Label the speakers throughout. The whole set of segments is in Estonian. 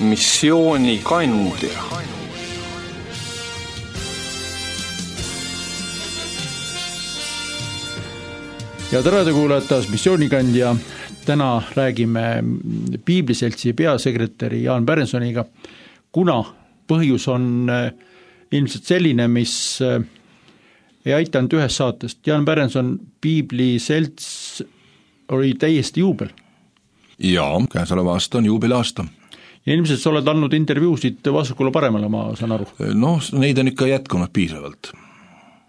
Speaker 1: missioonikandja.
Speaker 2: Ja tere kuulajad taas missioonikandja. Täna räägime Piibliseltsi peasekretäri Jaan Pärensoniga, kuna põhjus on ilmselt selline, mis ei aitanud ühest saatest. Jaan Pärenson, Piibliselts oli täiesti juubel.
Speaker 3: Jaa, käesoleva aasta on juubelaasta.
Speaker 2: Ja ilmselt sa oled andnud intervjuusid vasakule paremale, ma saan aru.
Speaker 3: Neid on ikka jätkunud piisavalt.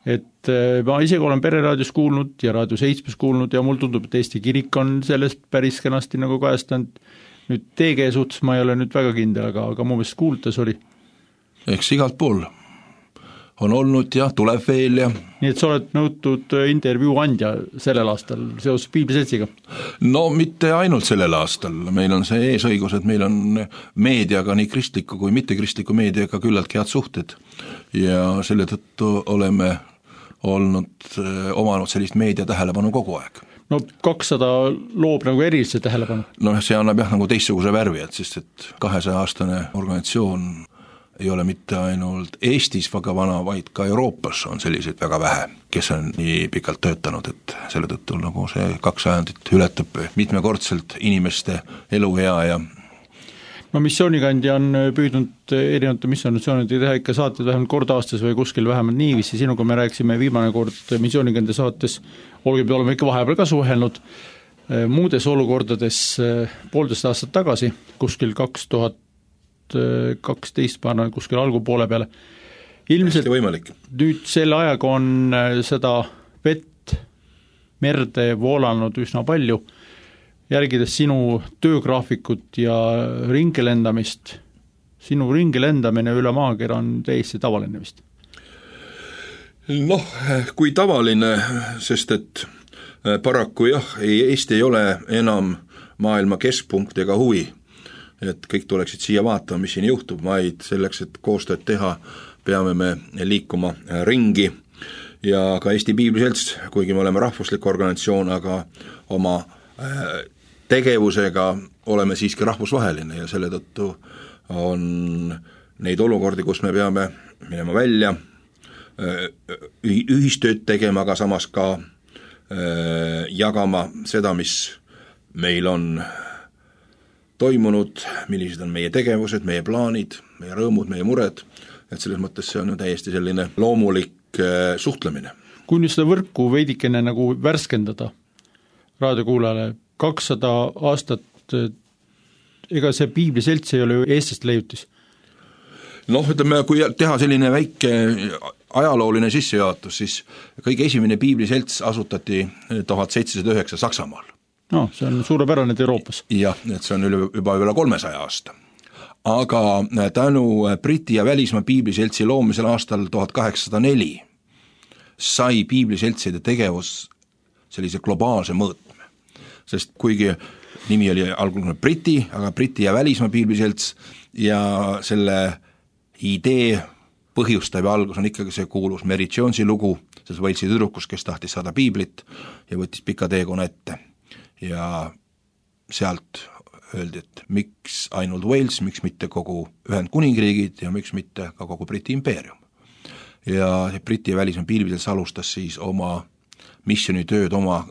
Speaker 2: Et ma isegi olen Pereraadios kuulnud ja Raadio 7 kuulnud ja mul tundub, et Eesti kirik on sellest päris kenasti nagu kajastanud. Nüüd TG suhtes ma ei ole nüüd väga kindel, aga mu meelest kuuldes oli.
Speaker 3: Eks igalt pool on olnud ja tuleb veel ja...
Speaker 2: Nii et sa oled nõutud intervjuu andja sellel aastal seoses Piibliseltsiga?
Speaker 3: No mitte ainult sellel aastal, meil on see eesõigus, et meil on meediaga, nii kristliku kui mittekristliku meediaga küllalt head suhted ja selle tõttu oleme omanud sellist meedia tähelepanu kogu aeg.
Speaker 2: No 200 loob nagu erilise tähelepanu.
Speaker 3: No see annab nagu teistsuguse värvi, sest et 200-aastane organisatsioon ei ole mitte ainult Eestis väga vana, vaid ka Euroopas on selliseid väga vähe, kes on nii pikalt töötanud, et selle tõttu nagu see 200 ületab mitmekordselt inimeste eluea ja
Speaker 2: no missioonikandja on püüdnud erinevate missioonide teha ikka saated vähemalt kord aastas või kuskil vähemalt niiviisi. Sinuga me rääksime viimane kord missioonikandja saates, oleme ikka vahepeal ka suhelnud muudes olukordades 1,5 aastat tagasi, kuskil 2012 paana kuskil algupoole peale. Ilmselt nüüd selle ajaga on seda vett merde voolanud üsna palju. Järgides sinu töögraafikut ja ringelendamist, sinu ringelendamine üle maakera on täiesti tavaline vist?
Speaker 3: Kui tavaline, sest et paraku jah, Eesti ei ole enam maailma keskpunkt ega huvi, et kõik tuleksid siia vaatama, mis siin juhtub, vaid selleks, et koostööd teha, peame me liikuma ringi ja ka Eesti Piibliselts, kuigi me oleme rahvuslik organisatsioon, aga oma tegevusega oleme siiski rahvusvaheline ja selle tõttu on neid olukordi, kus me peame minema välja, ühistööd tegema, aga samas ka jagama seda, mis meil on toimunud, millised on meie tegevused, meie plaanid, meie rõõmud, meie mured, et selles mõttes see on ju täiesti selline loomulik suhtlemine.
Speaker 2: Kui nüüd seda võrku veidikene nagu värskendada raadiokuulajale, 200 aastat, ega see Piibliselts ei ole ju eestlaste leiutis?
Speaker 3: Ütleme, kui teha selline väike ajalooline sissejuhatus, siis kõige esimene Piibliselts asutati 1709 Saksamaal.
Speaker 2: See on suurepärane Euroopas.
Speaker 3: Jah, et see on juba üle 300 aasta. Aga tänu Briti ja välismaa Piibliseltsi loomisel aastal 1804 sai Piibliseltside tegevus sellise globaalse mõõtme. Sest kuigi nimi oli algul Briti, aga Briti ja välismaa Piibliselts ja selle idee põhjustav algus on ikkagi see kuulus Mary Jonesi lugu, sest Walesi tüdrukus, kes tahtis saada piiblit ja võttis pika teekonna ette. Ja sealt öeldi, et miks ainult Wales, miks mitte kogu Ühendkuningriigid ja miks mitte ka kogu Briti impeerium. Ja Briti ja välismaa Piibliselts alustas siis oma missionitööd oma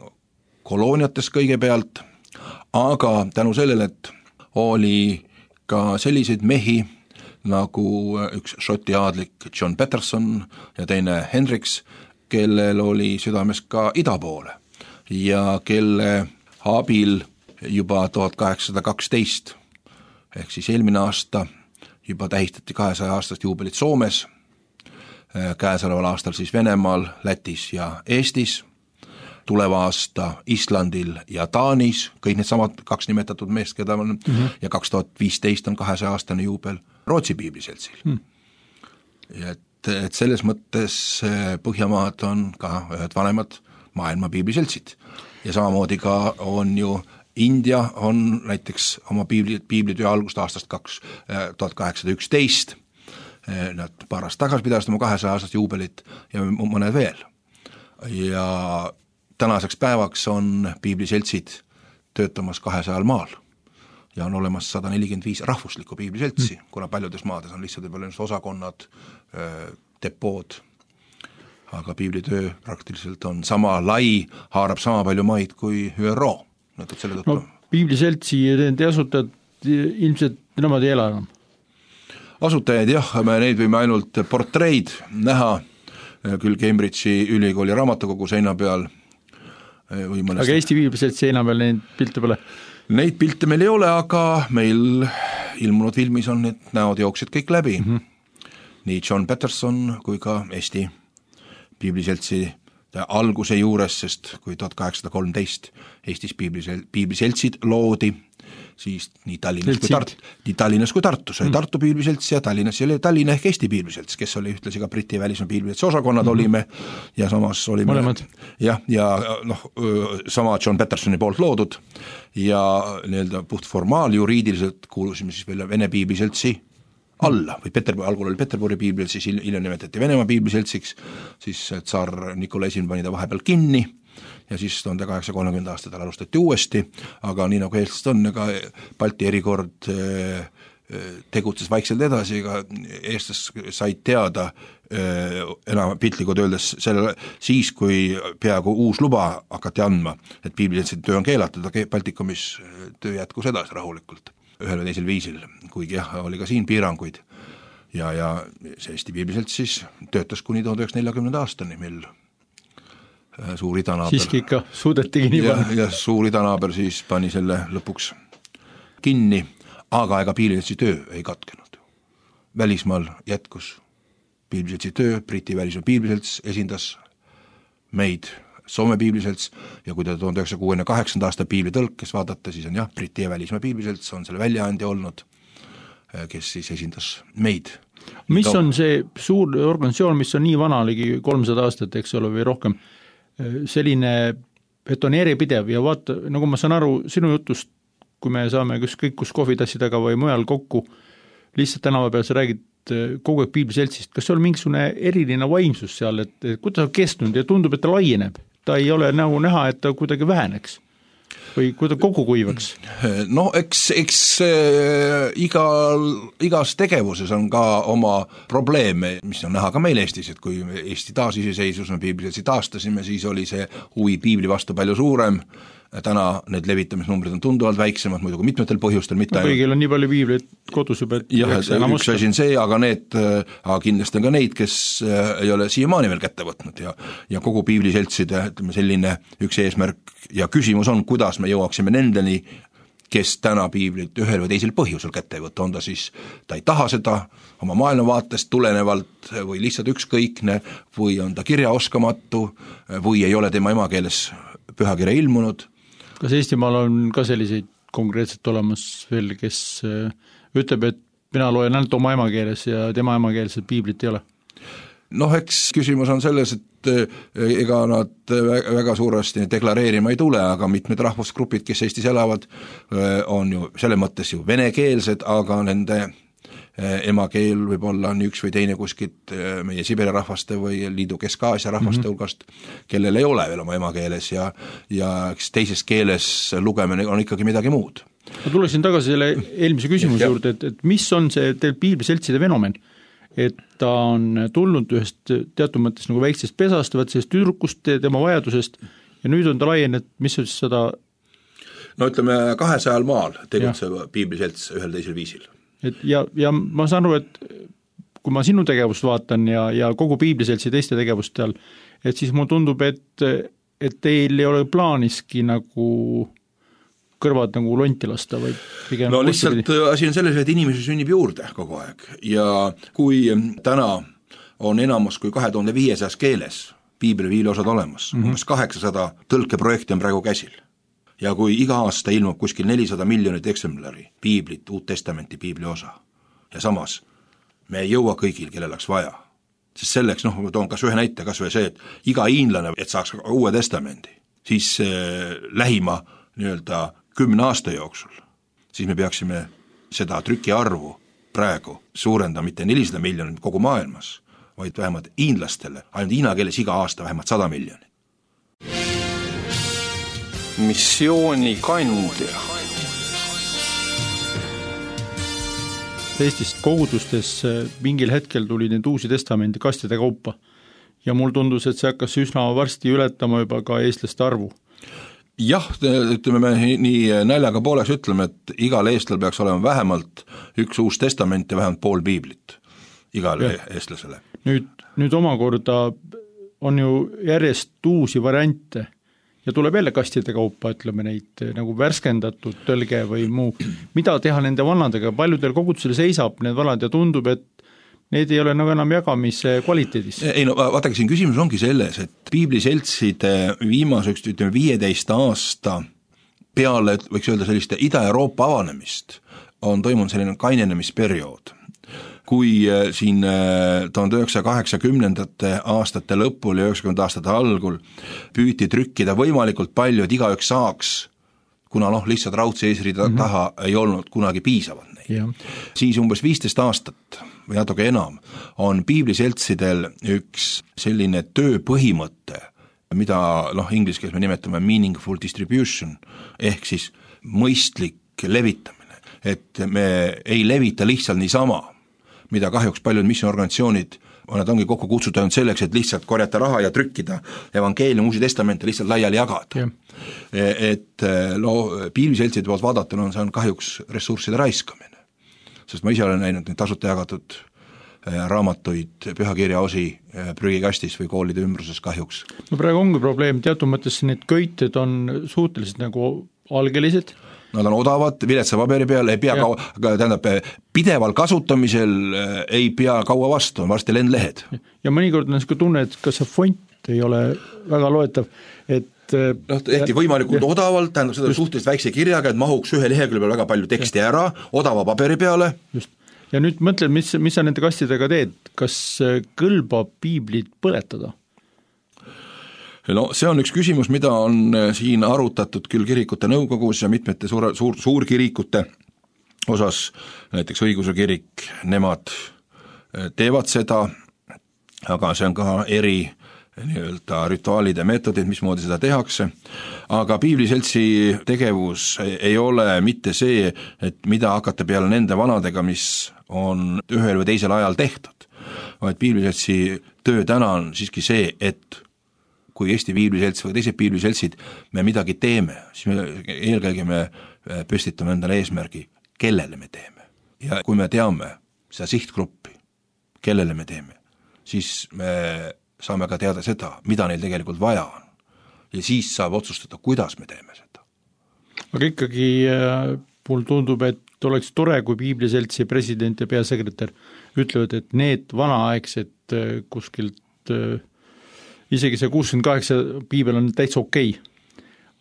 Speaker 3: kolooniates kõigepealt, aga tänu sellele, et oli ka selliseid mehi nagu üks šoti aadlik John Patterson ja teine Hendricks, kellel oli südames ka ida poole ja kelle abil juba 1812 ehk siis eelmine aasta juba tähistati 200 aastast juubelit Soomes, käesoleval aastal siis Venemaal, Lätis ja Eestis, tuleva aasta Islandil ja Taanis, kõik need samad 2 nimetatud meest, keda on, ja 2015 on 200-aastane juubel Rootsi Piibliseltsil. Et selles mõttes Põhjamaad on ka ühed vanemad maailma Piibliseltsid ja samamoodi ka on ju India on näiteks oma piiblitöö algust aastast 1811, nad paar aastat tagasi pidasid oma 200 aastast juubelit ja mõned veel. Ja tänaseks päevaks on piibliseltsid töötamas 200 maal ja on olemas 145 rahvuslikku piibliseltsi, kuna paljudes maades on lihtsalt võib-olla osakonnad, depood, aga piiblitöö praktiliselt on sama lai, haarab sama palju maid kui ÜRO.
Speaker 2: No, piibliseltsi te asutajad ilmselt nemad ei ela enam?
Speaker 3: Asutajaid jah, me neid võime ainult portreid näha, küll Cambridge'i ülikooli raamatukogu seina peal.
Speaker 2: Aga Eesti piibliseltsi seina peal neid pilte pole?
Speaker 3: Neid pilte meil ei ole, aga meil ilmunud filmis on need näod jooksed kõik läbi. Nii John Patterson kui ka Eesti piibliseltsi alguse juures, sest kui 1813 Eestis piibliseltsid loodi, siis nii Tallinnas kui Tartus oli Tartu piibliselts ja Tallinnas oli Tallinna ehk Eesti piibliselts, kes oli ühtlasi ka Briti välismaa piibliseltsi osakonnad olime ja samas olime ja sama John Pattersoni poolt loodud ja nii-öelda puht juriidiliselt kuulusime siis veel Vene piibliseltsi alla või algul oli Peterburi piiblil, siis hiljem nimetati Venemaa piibliseltsiks, siis tsar Nikolai I pani ta vahepeal kinni ja siis 1830 aastatel alustati uuesti, aga nii nagu eestlased on, ega Balti erikord tegutses vaikselt edasi, ega eestlased said teada enam piltlikult öeldes siis, kui peaaegu uus luba hakati andma, et piibliseltside töö on keelatud, aga Baltikumis töö jätkus edasi rahulikult ühel või teisel viisil, kuigi jah, oli ka siin piiranguid ja see Eesti piibliselts siis töötas kuni 1940 aastani, mil suur idanaaber
Speaker 2: siiski ikka suudetigi nii panna.
Speaker 3: Ja suur idanaaber siis pani selle lõpuks kinni, aga ega piibliseltsi töö ei katkenud. Välismaal jätkus piibliseltsi töö, Briti välismaa piibliselts esindas meid Soome piibliselts ja kui te 1968. aasta piiblitõlkes vaadata, siis on jah, Briti ja välismaa piibliselts on selle väljaandja olnud, kes siis esindas meid.
Speaker 2: Mis on see suur organisatsioon, mis on nii vana, ligi 300 aastat, eks ole, või rohkem, selline, et on järjepidev ja vaata, nagu ma saan aru sinu jutust, kui me saame ükskõik kus kohvitassi taga või mujal kokku, lihtsalt tänava peal sa räägid kogu aeg piibliseltsist, kas see on mingisugune eriline vaimsus seal, et kuidas on kestnud ja tundub, et ta laieneb, ta ei ole nagu näha, et ta kuidagi väheneks või kui ta kogu kuivaks?
Speaker 3: No eks igas tegevuses on ka oma probleeme, mis on näha ka meil Eestis, et kui Eesti taasiseseisvus me piibliseltsi taastasime, siis oli see huvi piibli vastu palju suurem, täna need levitamisnumbrid on tunduvalt väiksemad, muidugi mitmetel põhjustel, mitte
Speaker 2: kõigil on nii palju piiblit kodus juba, et
Speaker 3: jah, üks asi on see, aga kindlasti on ka neid, kes ei ole siiamaani veel kätte võtnud ja kogu piibliseltside, ütleme selline üks eesmärk ja küsimus on, kuidas me jõuaksime nendeni, kes täna piiblit ühel või teisel põhjusel kätte ei võtta, on ta siis, ta ei taha seda oma maailmavaatest tulenevalt või lihtsalt ükskõikne või on ta kirjaoskamatu või ei ole tema emakeeles pühakirja ilmunud.
Speaker 2: Kas Eestimaal on ka selliseid konkreetselt olemas veel, kes ütleb, et mina loen ainult oma emakeeles ja tema emakeelset piiblit ei ole?
Speaker 3: Eks küsimus on selles, et ega nad väga suuresti deklareerima ei tule, aga mitmed rahvusgrupid, kes Eestis elavad, on ju selle mõttes ju venekeelsed, aga nende emakeel võib olla nii üks või teine kuskilt meie Siberi rahvaste või liidu Kesk-Aasia rahvaste hulgast, kellel ei ole veel oma emakeeles ja teises keeles lugemine on ikkagi midagi muud.
Speaker 2: Ma tuleksin tagasi selle eelmise küsimuse juurde, et mis on see teil piibliseltside fenomen? Et ta on tulnud ühest teatud mõttes nagu väiksest pesast, sellest tüdrukust, tema vajadusest ja nüüd on ta laienenud, mis on siis seda?
Speaker 3: No ütleme 200 maal tegutseb piibliselts ühel teisel viisil.
Speaker 2: Ja ma saan aru, et kui ma sinu tegevust vaatan ja kogu piibliseltsi teiste tegevust seal, et siis mulle tundub, et teil ei ole plaaniski nagu kõrvad nagu lonti lasta, vaid pigem
Speaker 3: no lihtsalt asi on selles, et inimesi sünnib juurde kogu aeg ja kui täna on enamus kui 2500 keeles piibliosad olemas, umbes 800 tõlkeprojekti on praegu käsil. Ja kui iga aasta ilmub kuskil 400 miljonit eksemplari piiblit, Uut Testamenti piibliosa ja samas me ei jõua kõigil, kellel oleks vaja. Sest selleks, ma toon kas ühe näite, kas või see, et iga hiinlane, et saaks Uue Testamendi, siis lähima nii-öelda 10 aasta jooksul, siis me peaksime seda trükiarvu praegu suurendama mitte 400 miljonit kogu maailmas, vaid vähemalt hiinlastele, ainult hiina keeles iga aasta vähemalt 100 miljonit.
Speaker 1: Missiooni kandja.
Speaker 2: Eestis kogudustes mingil hetkel tuli neid uusi testamendi kastide kaupa ja mul tundus, et see hakkas üsna varsti ületama juba ka eestlaste arvu.
Speaker 3: Jah, ütleme me nii naljaga pooleks ütleme, et igal eestlal peaks olema vähemalt üks uus testament ja vähemalt pool piiblit igale eestlasele.
Speaker 2: Nüüd omakorda on ju järjest uusi variante ja tuleb jälle kastide kaupa, ütleme neid nagu värskendatud tõlge või muu. Mida teha nende vanadega? Paljudel kogudusel seisab need vanad ja tundub, et need ei ole nagu enam jagamise kvaliteedis.
Speaker 3: Ei no vaadake, siin küsimus ongi selles, et piibliseltside viimaseks 15 aasta peale, võiks öelda selliste Ida-Euroopa avanemist, on toimunud selline kainenemisperiood. Kui siin 1980. aastate lõpul ja 90. aastate algul püüti trükkida võimalikult palju, et igaüks saaks, kuna lihtsalt raudse eesriida taha ei olnud kunagi piisavad neid.
Speaker 2: Ja.
Speaker 3: Siis umbes 15 aastat või natuke enam on piibliseltsidel üks selline tööpõhimõte, mida inglise keeles me nimetame meaningful distribution, ehk siis mõistlik levitamine, et me ei levita lihtsalt niisama, mida kahjuks paljud missionorganisatsioonid nad ongi kokku kutsuda ainult selleks, et lihtsalt korjata raha ja trükkida evangeelium, uusi testamente lihtsalt laiali jagada. Et piibliseltside poolt vaadatuna see on kahjuks ressursside raiskamine. Sest ma ise olen näinud neid tasuta jagatud raamatuid, pühakirja osi prügikastis või koolide ümbruses kahjuks.
Speaker 2: No praegu ongi probleem, teatud mõttes need köited on suhteliselt nagu algelised.
Speaker 3: Nad on odavad, viletsa paberi peal, ei pea pideval kasutamisel ei pea kaua vastu, on varsti lendlehed.
Speaker 2: Ja mõnikord on see tunne, et kas see font ei ole väga loetav, et
Speaker 3: ehti võimalikult odavalt, tähendab seda suhteliselt väikse kirjaga, et mahuks ühe lehekülje peal väga palju teksti ära, odava paberi peale.
Speaker 2: Just. Ja nüüd mõtled, mis sa nende kastidega teed, kas kõlbab piiblit põletada?
Speaker 3: No see on üks küsimus, mida on siin arutatud küll kirikute nõukogus ja mitmete suurkirikute osas, näiteks õiguse kirik, nemad teevad seda, aga see on ka eri nii-öelda rituaalide meetodid, mismoodi seda tehakse, aga piibliseltsi tegevus ei ole mitte see, et mida hakata peale nende vanadega, mis on ühel või teisel ajal tehtud, vaid piibliseltsi töö täna on siiski see, et kui Eesti piibliselts või teised piibliseltsid me midagi teeme, siis eelkõige me püstitame endale eesmärgi, kellele me teeme. Ja kui me teame seda sihtgruppi, kellele me teeme, siis me saame ka teada seda, mida neil tegelikult vaja on. Ja siis saab otsustada, kuidas me teeme seda.
Speaker 2: Aga ikkagi mul tundub, et oleks tore, kui piibliseltsi president ja peasekretär ütlevad, et need vanaaegsed kuskilt isegi see 68 piibel on täitsa okei.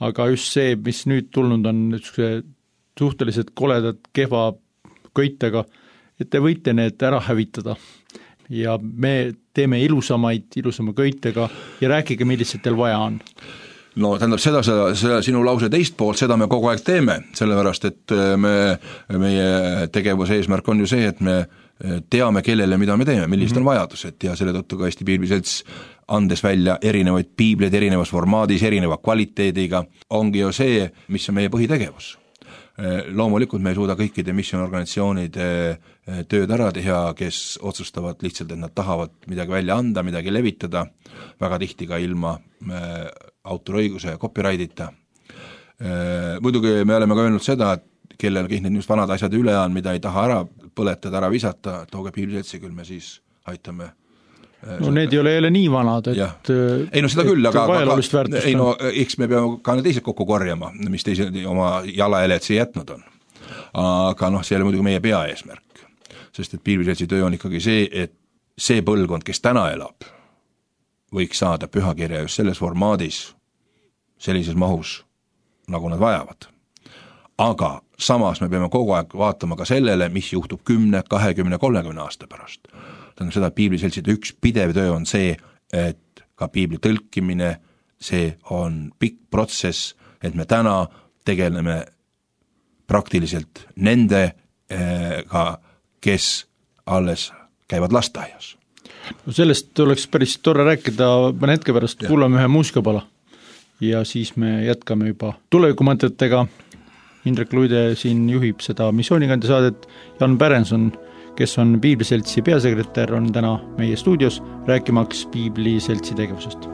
Speaker 2: Aga just see, mis nüüd tulnud on suhteliselt koledad kehva köitega, et te võite need ära hävitada. Ja me teeme ilusama köitega ja rääkige, millised teil vaja on.
Speaker 3: No tähendab seda sinu lause teist poolt, seda me kogu aeg teeme, sellepärast, et meie tegevuse eesmärk on ju see, et me teame, kellele, mida me teeme, millised on vajadused ja selle tõttu ka Eesti piibliselts andes välja erinevaid piibleid erinevas formaadis, erineva kvaliteediga, ongi ju see, mis on meie põhitegevus. Loomulikult me ei suuda kõikide missionorganisatsioonide tööd ära teha, kes otsustavad lihtsalt, et nad tahavad midagi välja anda, midagi levitada, väga tihti ka ilma autoriõiguse ja copyright'ita. Muidugi me oleme ka öelnud seda, et kellelgi need just vanad asjad üle on, mida ei taha ära põletada, ära visata, tooge piibliseltsi, küll me siis aitame.
Speaker 2: No need ei ole jälle nii vanad, et
Speaker 3: ei no seda küll, aga ei no eks me peame ka need teised kokku korjama, mis teised oma jalajäled siia jätnud on. Aga see ei ole muidugi meie peaeesmärk, sest et piibliseltsi töö on ikkagi see, et see põlvkond, kes täna elab, võiks saada pühakirja just selles formaadis, sellises mahus, nagu nad vajavad. Aga samas me peame kogu aeg vaatama ka sellele, mis juhtub 10, 20, 30 aasta pärast. Tähendab seda, et piibliseltside üks pidev töö on see, et ka piibli tõlkimine, see on pikk protsess, et me täna tegeleme praktiliselt nendega, kes alles käivad lasteaias.
Speaker 2: No sellest oleks päris tore rääkida, mõne hetke pärast kuulame ühe muusikapala ja siis me jätkame juba tulevikumõtetega Indrek Luide siin juhib seda missioonikandja saadet, Jan Pärenson, kes on Piibliseltsi peasekretär, on täna meie stuudios rääkimaks Piibliseltsi tegevusest.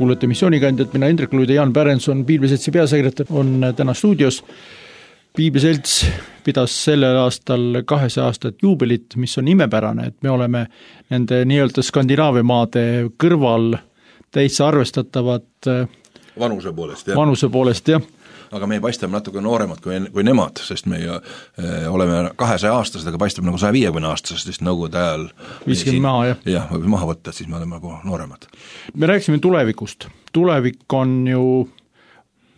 Speaker 2: Kuulete missioonikandjat, mina Indrek Luide, Jan Pärenson, Piibliseltsi peasekretär, on täna stuudios. Piibliselts pidas sellel aastal 200 aastat juubelit, mis on imepärane, et me oleme nende nii-öelda Skandinaavia maade kõrval täitsa arvestatavad
Speaker 3: vanuse
Speaker 2: poolest, jah.
Speaker 3: Aga me paistame natuke nooremad kui nemad, sest me oleme 200-aastased, aga paistab nagu 150-aastased, sest nõukogude ajal
Speaker 2: viskime maha, jah.
Speaker 3: Jah, võib maha võtta, siis me oleme nagu nooremad.
Speaker 2: Me rääkisime tulevikust. Tulevik on ju,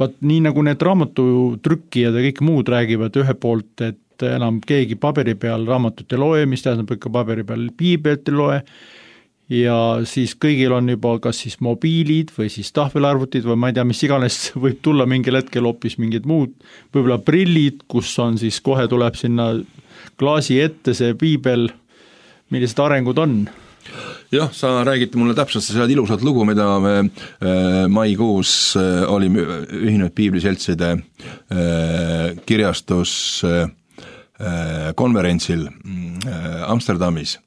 Speaker 2: nii nagu need raamatutrükkijad ja kõik muud räägivad ühe poolt, et enam keegi paberi peal raamatut ei loe, mis tähendab ikka paberi peal piiblit ei loe, ja siis kõigil on juba kas siis mobiilid või siis tahvelarvutid või ma ei tea, mis iganes võib tulla mingil hetkel hoopis mingid muud, võib-olla prillid, kus on siis kohe tuleb sinna klaasi ette see piibel, millised arengud on?
Speaker 3: Jah, sa räägid mulle täpselt seda ilusat lugu, mida me maikuus olime ühinenud Piibliseltside kirjastus konverentsil Amsterdamis,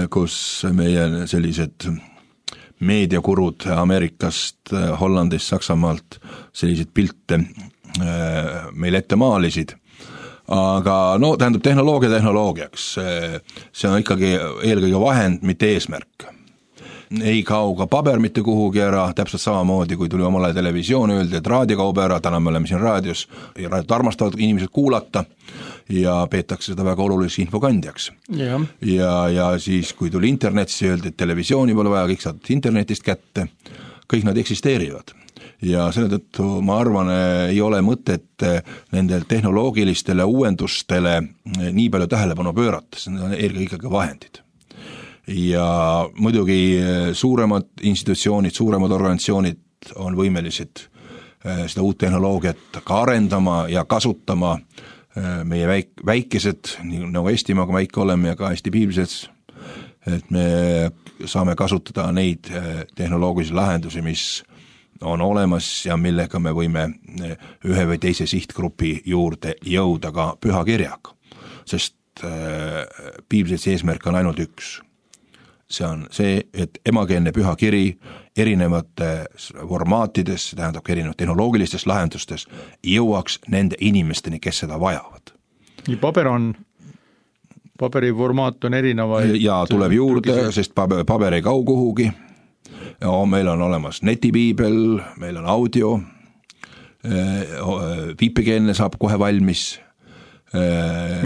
Speaker 3: kus meie sellised meediakurud Ameerikast, Hollandist, Saksamaalt selliseid pilte meil ette maalisid. Aga no tähendab tehnoloogiaks, see on ikkagi eelkõige vahend, mitte eesmärk. ei kao ka paber mitte kuhugi ära, täpselt samamoodi, kui tuli omale televisioon, öeldi, et raadio kaob ära, täna me oleme siin raadios, ja raadiot armastavad inimesed kuulata ja peetakse seda väga oluliseks infokandjaks. Ja siis, kui tuli internet, siis öeldi, et televisiooni pole vaja, kõik saad internetist kätte, kõik nad eksisteerivad. Ja selle tõttu ma arvan, ei ole mõtet nendel tehnoloogilistele uuendustele nii palju tähelepanu pöörata, see on eelkõige ikkagi vahendid. Ja muidugi suuremad institutsioonid, suuremad organisatsioonid on võimelised seda uut tehnoloogiat ka arendama ja kasutama. Meie väikesed, nagu Eestimaaga väike oleme ja ka Eesti piiblises, et me saame kasutada neid tehnoloogilisi lahendusi, mis on olemas ja millega me võime ühe või teise sihtgrupi juurde jõuda ka pühakirjaga, sest piiblises eesmärk on ainult üks. See on see, et emakeelne pühakiri erinevates formaatides, see tähendab erinevates tehnoloogilistes lahendustes, jõuaks nende inimesteni, kes seda vajavad.
Speaker 2: Nii paberi formaat on erinevaid.
Speaker 3: Ja tuleb juurde, sest paber ei kau kuhugi. Ja meil on olemas netipiibel, meil on audio, viipekeelne saab kohe valmis.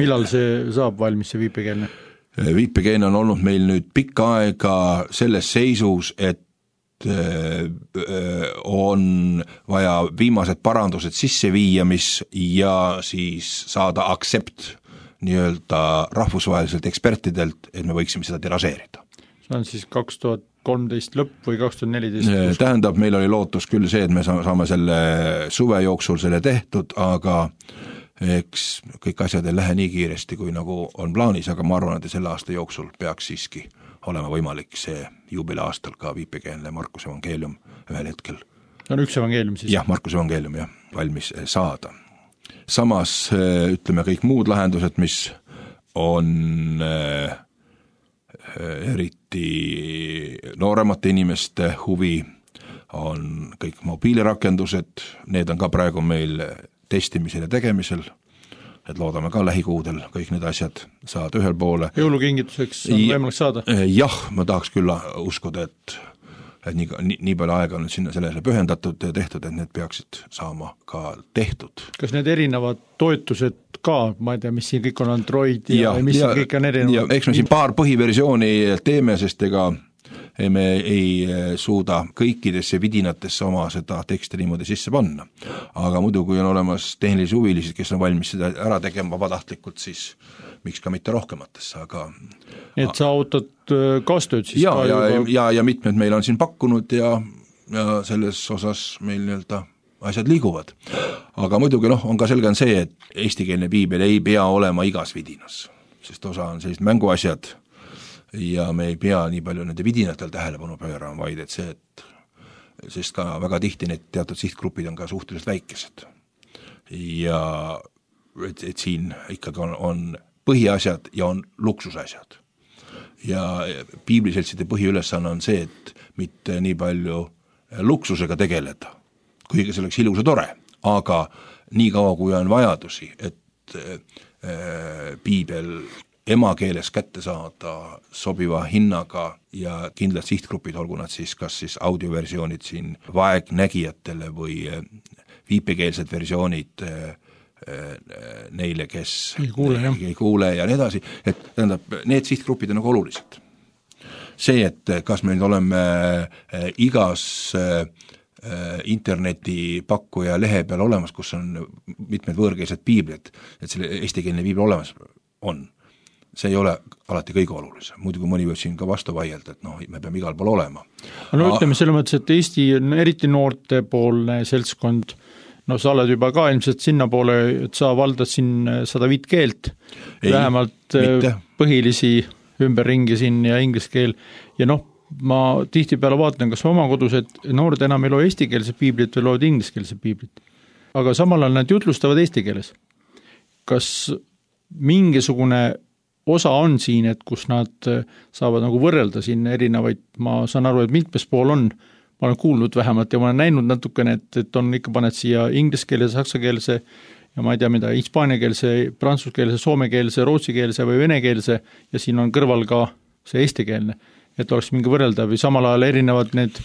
Speaker 2: Millal see saab valmis, see viipekeelne?
Speaker 3: Viipekeelne on olnud meil nüüd pikka aega selles seisus, et on vaja viimased parandused sisse viia, ja siis saada aktsept nii-öelda rahvusvaheliselt ekspertidelt, et me võiksime seda tiražeerida.
Speaker 2: See on siis 2013 lõpp või 2014?
Speaker 3: Tähendab, meil oli lootus küll see, et me saame selle suve jooksul selle tehtud, aga eks kõik asjad ei lähe nii kiiresti, kui nagu on plaanis, aga ma arvan, et selle aasta jooksul peaks siiski olema võimalik see juubeliaastal ka viipekeelne Markuse evangeelium ühel hetkel.
Speaker 2: On üks evangeelium siis?
Speaker 3: Jah, Markuse evangeelium valmis saada. Samas ütleme kõik muud lahendused, mis on eriti nooremate inimeste huvi, on kõik mobiilirakendused, need on ka praegu meil testimisel ja tegemisel, et loodame ka lähikuudel kõik need asjad saada ühel poole.
Speaker 2: Jõulukingituseks on võimalik saada?
Speaker 3: Jah, ma tahaks küll uskuda, et nii palju aega on sinna sellele pühendatud ja tehtud, et need peaksid saama ka tehtud.
Speaker 2: Kas need erinevad toetused ka, ma ei tea, mis siin kõik on Android ja mis siin kõik on erinevad?
Speaker 3: Eks me siin paar põhiversiooni teeme, sest ega me ei suuda kõikidesse vidinatesse oma seda teksti niimoodi sisse panna. Aga muidu, kui on olemas tehnilisi huvilised, kes on valmis seda ära tegema vabatahtlikult, siis miks ka mitte rohkematesse, aga
Speaker 2: et sa ootad kaastööd siis
Speaker 3: ja mitmed meil on siin pakkunud ja selles osas meil nii-öelda asjad liiguvad. Aga muidugi on ka selge see, et eestikeelne piibel ei pea olema igas vidinas, sest osa on sellised mänguasjad ja me ei pea nii palju nende vidinatel tähelepanu pöörama, vaid et see, sest ka väga tihti need teatud sihtgrupid on ka suhteliselt väikesed. Ja et siin ikkagi on põhiasjad ja on luksusasjad. Ja piibliseltside põhiülesanne on see, et mitte nii palju luksusega tegeleda, kuigi see oleks ilus ja tore, aga nii kaua, kui on vajadusi, et piibel emakeeles kätte saada sobiva hinnaga ja kindlad sihtgrupid, olgu nad siis kas siis audioversioonid siin vaegnägijatele või viipekeelsed versioonid neile, kes ei kuule ja nii edasi, et tähendab, need sihtgrupid on nagu olulised. See, et kas meil oleme igas internetipakkuja lehe peal olemas, kus on mitmed võõrkeelsed piiblid, et selle eestikeelne piibel olemas on. See ei ole alati kõige olulisem, muidu kui mõni võib siin ka vastu vaielda, et me peame igal pool olema.
Speaker 2: No ütleme selles mõttes, et Eesti on eriti noortepoolne seltskond, sa oled juba ka ilmselt sinna poole, et sa valdad siin 105 keelt, vähemalt põhilisi ümberringi siin ja inglise keel ja ma tihtipeale vaatan, kas oma kodus, et noored enam ei loe eestikeelse piiblit või loed ingliskeelse piiblit, aga samal ajal nad jutlustavad eesti keeles. Kas mingisugune osa on siin, et kus nad saavad nagu võrrelda siin erinevaid, ma saan aru, et mitmes pool on, ma olen kuulnud vähemalt ja ma olen näinud natukene, et on ikka paned siia ingliskeelse, saksakeelse ja ma ei tea mida, hispaaniakeelse, prantsuskeelse, soomekeelse, rootsikeelse või venekeelse ja siin on kõrval ka see eestikeelne. et oleks mingi võrreldav või samal ajal erinevad need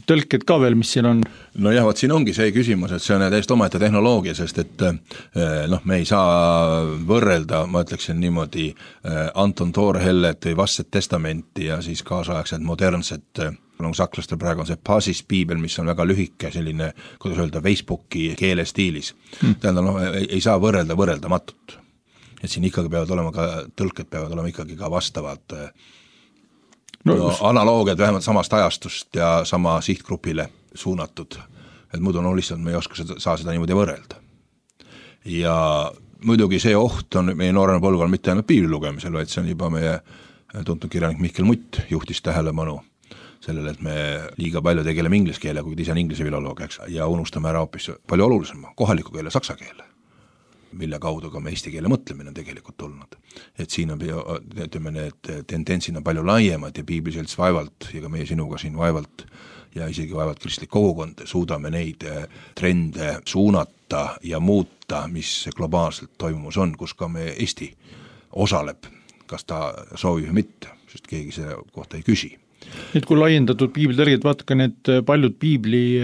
Speaker 2: tõlked ka veel, mis siin on?
Speaker 3: No jah, siin ongi see küsimus, et see on täiesti omaette tehnoloogia, sest et me ei saa võrrelda, ma ütleksin niimoodi, Anton Toorhellet või Vastset testamenti ja siis kaasaegset modernset, sakslastel praegu on see Basis piibel, mis on väga lühike, selline, kuidas öelda, Facebooki keelestiilis. Tähendab, ei saa võrrelda võrreldamatut. Et siin ikkagi peavad olema ka, tõlked peavad olema ikkagi ka vastavad analoogiad vähemalt samast ajastust ja sama sihtgrupile suunatud, et muidu lihtsalt me ei oska saa seda niimoodi võrrelda. Ja muidugi see oht on meie noorena põlvkonnal mitte ainult piibli lugemisel, vaid see on juba meie tuntud kirjanik Mihkel Mutt juhtis tähelepanu sellele, et me liiga palju tegeleme inglise keele, kuid ise on inglise filoloog, ja unustame ära hoopis palju olulisema kohaliku keele, saksa keele, mille kaudu ka me eesti keele mõtlemine on tegelikult tulnud. Et siin on, ütleme, need tendentsid on palju laiemad ja piibliselts vaevalt ja ka meie sinuga siin vaevalt ja isegi vaevalt kristlik kogukond suudame neid trende suunata ja muuta, mis globaalselt toimumus on, kus ka me Eesti osaleb, kas ta soovib või mitte, sest keegi selle kohta ei küsi.
Speaker 2: Nüüd kui laiendatud piiblitõlged, vaata ka need paljud piibli,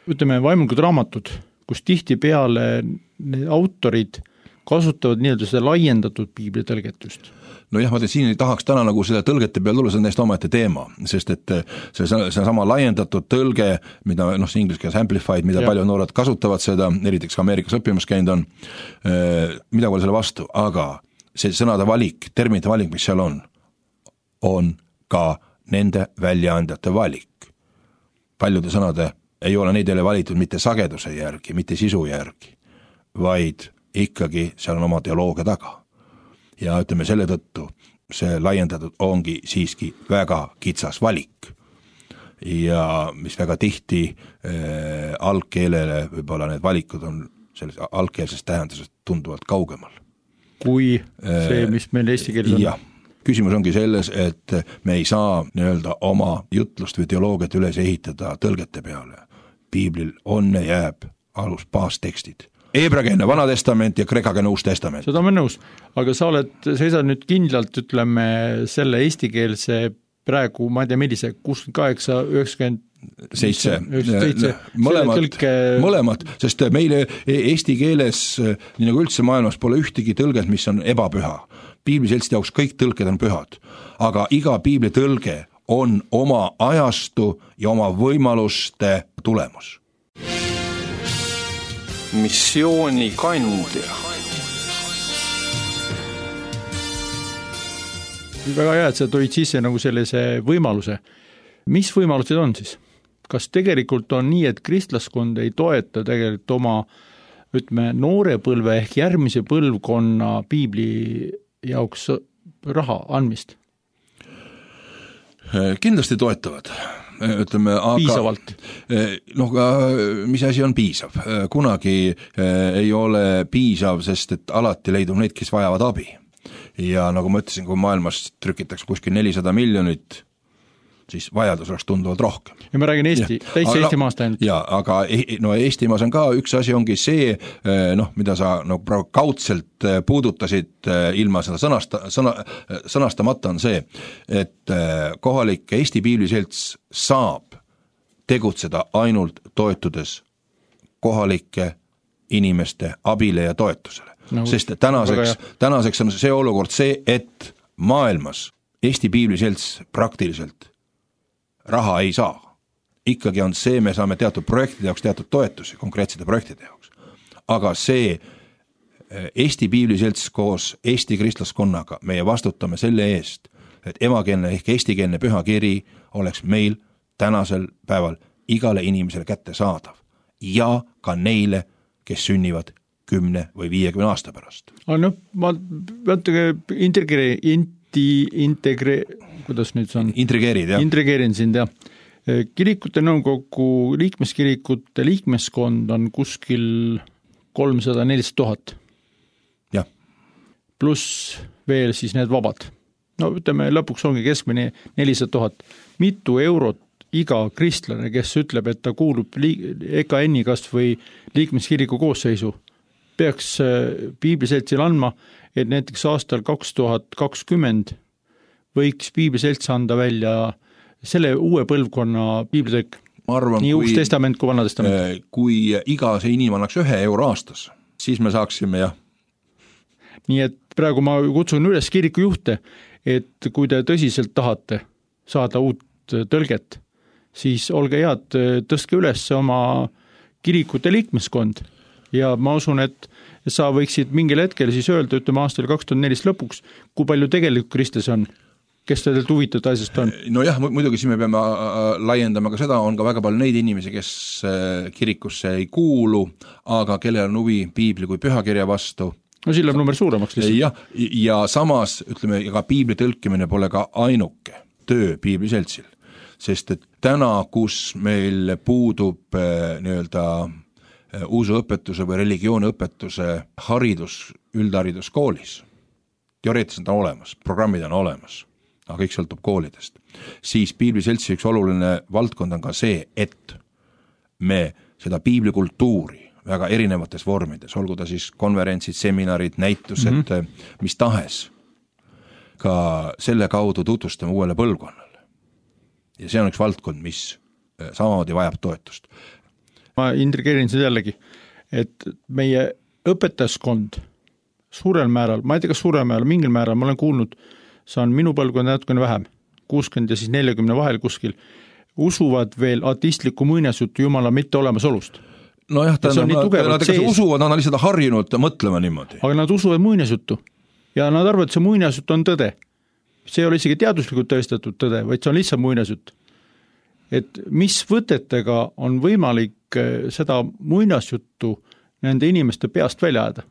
Speaker 2: ütleme, vaimulikud raamatud, kus tihti peale need autorid kasutavad nii-öelda seda laiendatud piiblitõlgetust.
Speaker 3: No jah, ma tean, siin ei tahaks täna nagu seda tõlgete peal tulla, see on täiesti omaette teema, sest et see sama laiendatud tõlge, mida see inglise keeles amplified, mida palju noored kasutavad seda, eriteks ka Ameerikas õppimas käinud on, mida pole selle vastu, aga see sõnade valik, terminite valik, mis seal on ka nende väljaandjate valik. Paljude sõnade ei ole neid jälle valitud mitte sageduse järgi, mitte sisu järgi, vaid ikkagi seal on oma teoloogia taga. Ja ütleme selle tõttu, see laiendatud ongi siiski väga kitsas valik. Ja mis väga tihti algkeelele võib-olla need valikud on selles algkeelsest tähendusest tunduvalt kaugemal.
Speaker 2: Kui see, mis meil eesti keeles on?
Speaker 3: Ja, küsimus ongi selles, et me ei saa nii-öelda oma jutlust või teoloogiat üles ehitada tõlgete peale. Piiblil on ja jääb alus baastekstid. Heebreakeelne Vana Testament ja kreekakeelne Uus Testament.
Speaker 2: Seda olen nõus, aga sa seisad nüüd kindlalt, ütleme, selle eestikeelse praegu, ma ei tea, millise, 68, 97,
Speaker 3: mõlemad, sest meile eesti keeles, nii nagu üldse maailmas, pole ühtegi tõlget, mis on ebapüha. Piibliseltside jaoks kõik tõlked on pühad, aga iga piibli tõlge on oma ajastu ja oma võimaluste tulemus.
Speaker 1: Missiooni kandja.
Speaker 2: Väga hea, et sa toid sisse nagu sellise võimaluse. Mis võimalused on siis? Kas tegelikult on nii, et kristlaskond ei toeta tegelikult oma, ütleme, noore põlve ehk järgmise põlvkonna piibli jaoks raha andmist?
Speaker 3: Kindlasti toetavad. Ütleme, aga,
Speaker 2: piisavalt?
Speaker 3: Mis asi on piisav? Kunagi ei ole piisav, sest et alati leidub neid, kes vajavad abi. Ja nagu ma ütlesin, kui maailmas trükitakse kuskil 400 miljonit, siis vajadus oleks tunduvalt rohkem.
Speaker 2: Ja ma räägin täitsa Eestimaast ainult.
Speaker 3: Ja, aga Eestimaas on ka üks asi ongi see, mida sa praegu kaudselt puudutasid ilma seda sõnastamata on see, et kohalik Eesti piibliselts saab tegutseda ainult toetudes kohalike inimeste abile ja toetusele. Sest tänaseks on see olukord see, et maailmas Eesti piibliselts praktiliselt raha ei saa. Ikkagi on see, me saame teatud projektide jaoks teatud toetusi, konkreetsete projektide jaoks. Aga see Eesti piibliselts koos Eesti kristlaskonnaga, meie vastutame selle eest, et emakeelne ehk eestikeelne pühakiri oleks meil tänasel päeval igale inimesele kätte saadav ja ka neile, kes sünnivad 10 või 50 aasta pärast.
Speaker 2: Ma kuidas nüüd see on? Intrigeerin sind, jah. Kirikute nõukogu liikmeskirikute liikmeskond on kuskil 300-400 000.
Speaker 3: Jah.
Speaker 2: Pluss veel siis need vabad. Ütleme, lõpuks ongi keskmine 400 000. Mitu eurot iga kristlane, kes ütleb, et ta kuulub EKN-i kast või liikmeskiriku koosseisu, peaks piibliseltsil andma, et näiteks aastal 2020 võiks piibliselts anda välja selle uue põlvkonna piiblitõik?
Speaker 3: Ma arvan,
Speaker 2: nii Uus Testament kui Vana Testament.
Speaker 3: Kui iga see inimene annaks 1 euro aastas, siis me saaksime jah.
Speaker 2: Nii et praegu ma kutsun üles kirikujuhte, et kui te tõsiselt tahate saada uut tõlget, siis olge head, tõstke üles oma kirikute liikmeskond ja ma usun, et sa võiksid mingil hetkel siis öelda, ütleme aastal 2004 lõpuks, kui palju tegelikult kristlasi on, kes teilt huvitatud asjast on?
Speaker 3: No jah, muidugi siin me peame laiendama ka seda, on ka väga palju neid inimesi, kes kirikusse ei kuulu, aga kellel on huvi piibli kui pühakirja vastu.
Speaker 2: No siin läheb number suuremaks lihtsalt.
Speaker 3: Ja samas, ütleme, ka piibli tõlkimine pole ka ainuke töö piibliseltsil, sest et täna, kus meil puudub nii-öelda usuõpetuse või religiooniõpetuse haridus üldhariduskoolis, teoreetiliselt on olemas, programmid on olemas, aga kõik sõltub koolidest, siis piibliseltsi üks oluline valdkond on ka see, et me seda piiblikultuuri väga erinevates vormides, olgu ta siis konverentsid, seminarid, näitused, mis tahes, ka selle kaudu tutvustame uuele põlvkonnale. Ja see on üks valdkond, mis samamoodi vajab toetust.
Speaker 2: Ma intrigeerin seda jällegi, et meie õpetajaskond suurel määral, ma ei tea, kas suurel määral, mingil määral, ma olen kuulnud, see on minu põlvkond natukene vähem, 60 ja siis 40 vahel kuskil, usuvad veel ateistlikku muinasjuttu Jumala mitte olemasolust.
Speaker 3: No jah, nad usuvad, nad on lihtsalt harjunud mõtlema niimoodi.
Speaker 2: Aga nad usuvad muinasjuttu ja nad arvavad, et see muinasjutt on tõde. See ei ole isegi teaduslikult tõestatud tõde, vaid see on lihtsalt muinasjutt. Et mis võtetega on võimalik seda muinasjuttu nende inimeste peast välja ajada?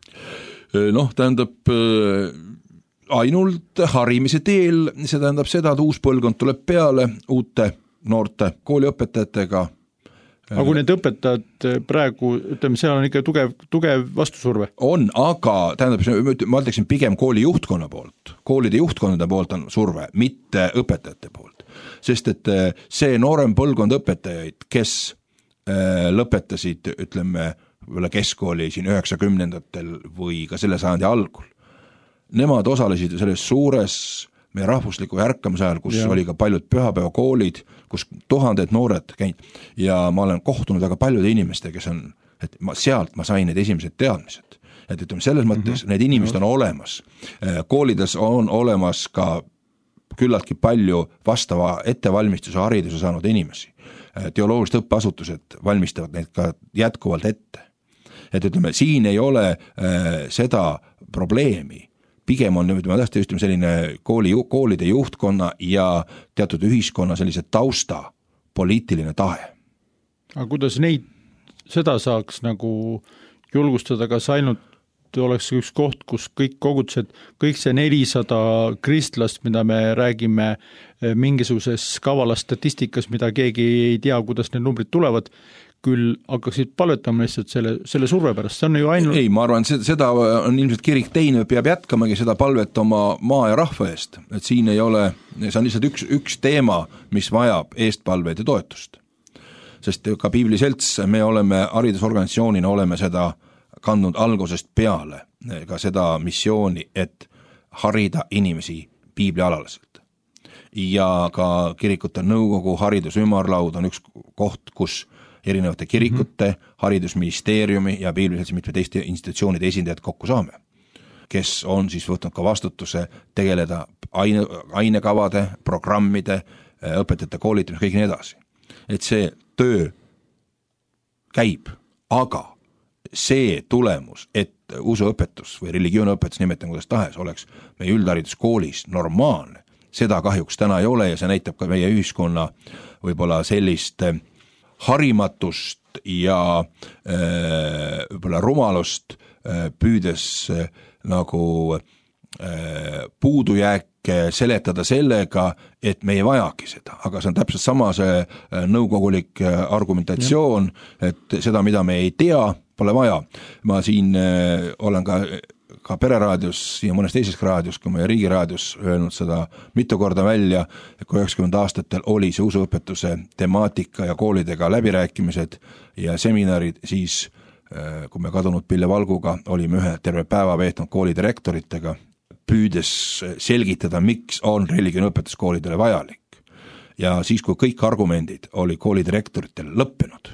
Speaker 3: Noh, tähendab ainult harimise teel, see tähendab seda, et uus põlvkond tuleb peale uute noorte kooliõpetajatega.
Speaker 2: Aga kui need õpetajad praegu, ütleme, seal on ikka tugev vastusurve?
Speaker 3: On, aga tähendab, ma ütleksin pigem kooli juhtkonna poolt. Koolide juhtkonnade poolt on surve, mitte õpetajate poolt. Sest et see noorem põlvkond õpetajaid, kes lõpetasid, ütleme, keskkooli siin 90-ndatel või ka selle sajandi algul, nemad osalesid selles suures meie rahvusliku ärkamise ajal, kus oli ka paljud pühapäevakoolid, kus tuhanded noored käinud ja ma olen kohtunud väga paljude inimeste, kes on, et sealt ma sain need esimesed teadmised. Et ütleme, selles mõttes need inimesed on olemas. Koolides on olemas ka küllaltki palju vastava ettevalmistuse hariduse saanud inimesi. Teoloogilised õppeasutused valmistavad neid ka jätkuvalt ette. Et ütleme, siin ei ole seda probleemi. Pigem on selline koolide juhtkonna ja teatud ühiskonna sellise tausta poliitiline tahe.
Speaker 2: Aga kuidas seda saaks nagu julgustada, kas ainult oleks üks koht, kus kõik kogudused, kõik see 400 kristlast, mida me räägime mingisuguses kavalas statistikas, mida keegi ei tea, kuidas need numbrid tulevad, küll hakkaksid palvetama lihtsalt selle surve pärast, see on ju ainult...
Speaker 3: Ei, ma arvan, seda on ilmselt kirik teine, peab jätkamagi seda palvet oma maa ja rahva eest, et siin ei ole, see on lihtsalt üks teema, mis vajab eestpalveid ja toetust. Sest ka piibliselts, me oleme haridusorganisatsioonina, oleme seda kandnud algusest peale, ka seda missiooni, et harida inimesi piiblialaliselt. Ja ka kirikute nõukogu haridusümarlaud on üks koht, kus erinevate kirikute, haridusministeeriumi ja piibliseltsi mitme teiste institutsioonide esindajad kokku saame, kes on siis võtnud ka vastutuse tegeleda ainekavade, programmide, õpetajate koolitamise, kõik nii edasi. Et see töö käib, aga see tulemus, et usuõpetus või religiooniõpetus, nimetan kuidas tahes, oleks meie üldhariduskoolis normaalne, seda kahjuks täna ei ole ja see näitab ka meie ühiskonna võib-olla sellist harimatust ja võib-olla rumalust püüdes nagu puudujääke seletada sellega, et me ei vajagi seda, aga see on täpselt sama see nõukogulik argumentatsioon, et seda, mida me ei tea, pole vaja. Ma siin olen ka pereraadios ja mõnes teises raadios, kui meie riigiraadios öelnud seda mitu korda välja, et kui 90 aastatel oli see usuõpetuse temaatika ja koolidega läbirääkimised ja seminarid, siis kui me kadunud Pille Valguga olime ühe terve päeva veetnud koolidirektoritega, püüdes selgitada, miks on religiooniõpetus koolidele vajalik. Ja siis, kui kõik argumendid oli koolidirektoritel lõppenud,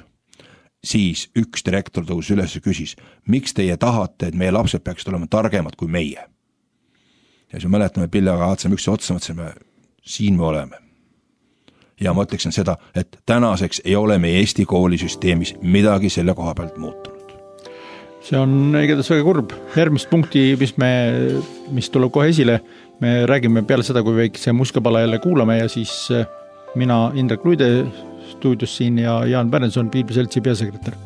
Speaker 3: siis üks direktor tõus üles ja küsis, miks teie tahate, et meie lapsed peaksid olema targemad kui meie. Ja siis me mäletame Pillaga vaatasime ükse otsa, mõtlesime, siin me oleme. Ja ma ütleksin seda, et tänaseks ei ole meie Eesti koolisüsteemis midagi selle koha pealt muutunud.
Speaker 2: See on igatahes väga kurb. Järgmist punkti, mis tuleb kohe esile, me räägime peale seda, kui väikse muskapala jälle kuulame ja siis mina, Indrek Luide stuudios siin ja Jaan Pärenson, Piibliseltsi peasekretär.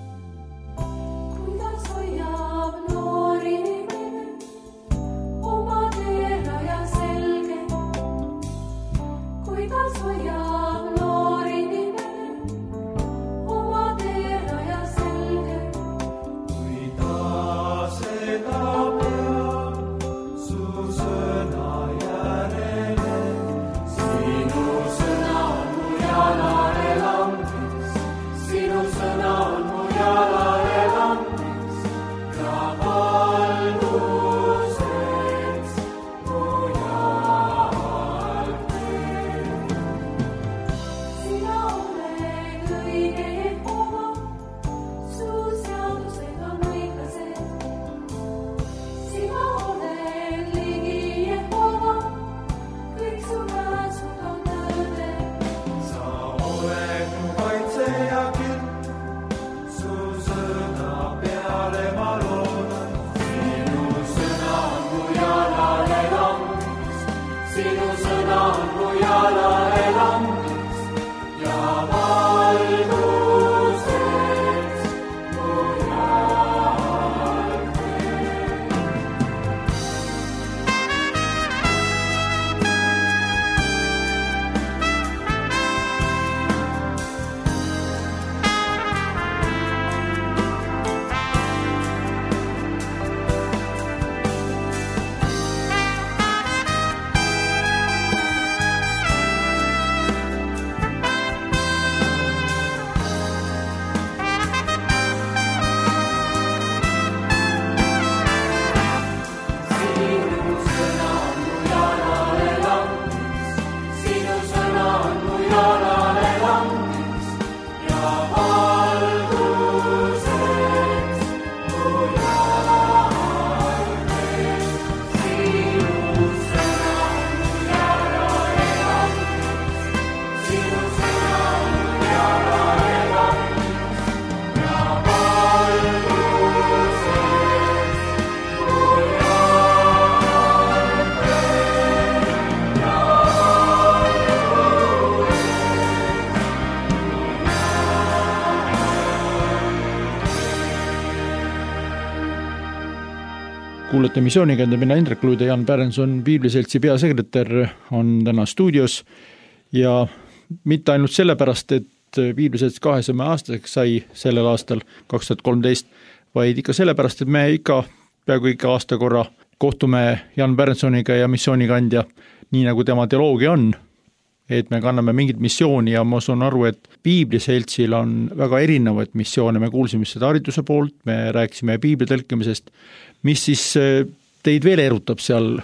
Speaker 2: Kuulete missioonikäände, mina Indrek Luide, Jaan Pärenson, Piibliseltsi peasekretär on täna stuudios ja mitte ainult sellepärast, et Piibliselts 200 aastaseks sai sellel aastal 2013, vaid ikka sellepärast, et me peaaegu iga aasta korra kohtume Jaan Pärensoniga ja missioonikandja, nii nagu tema teoloogia on, et me kanname mingit missiooni ja ma saan aru, et Piibliseltsil on väga erinevaid missioone, me kuulsime seda hariduse poolt, me rääkisime piibli tõlkimisest, mis siis teid veel erutab seal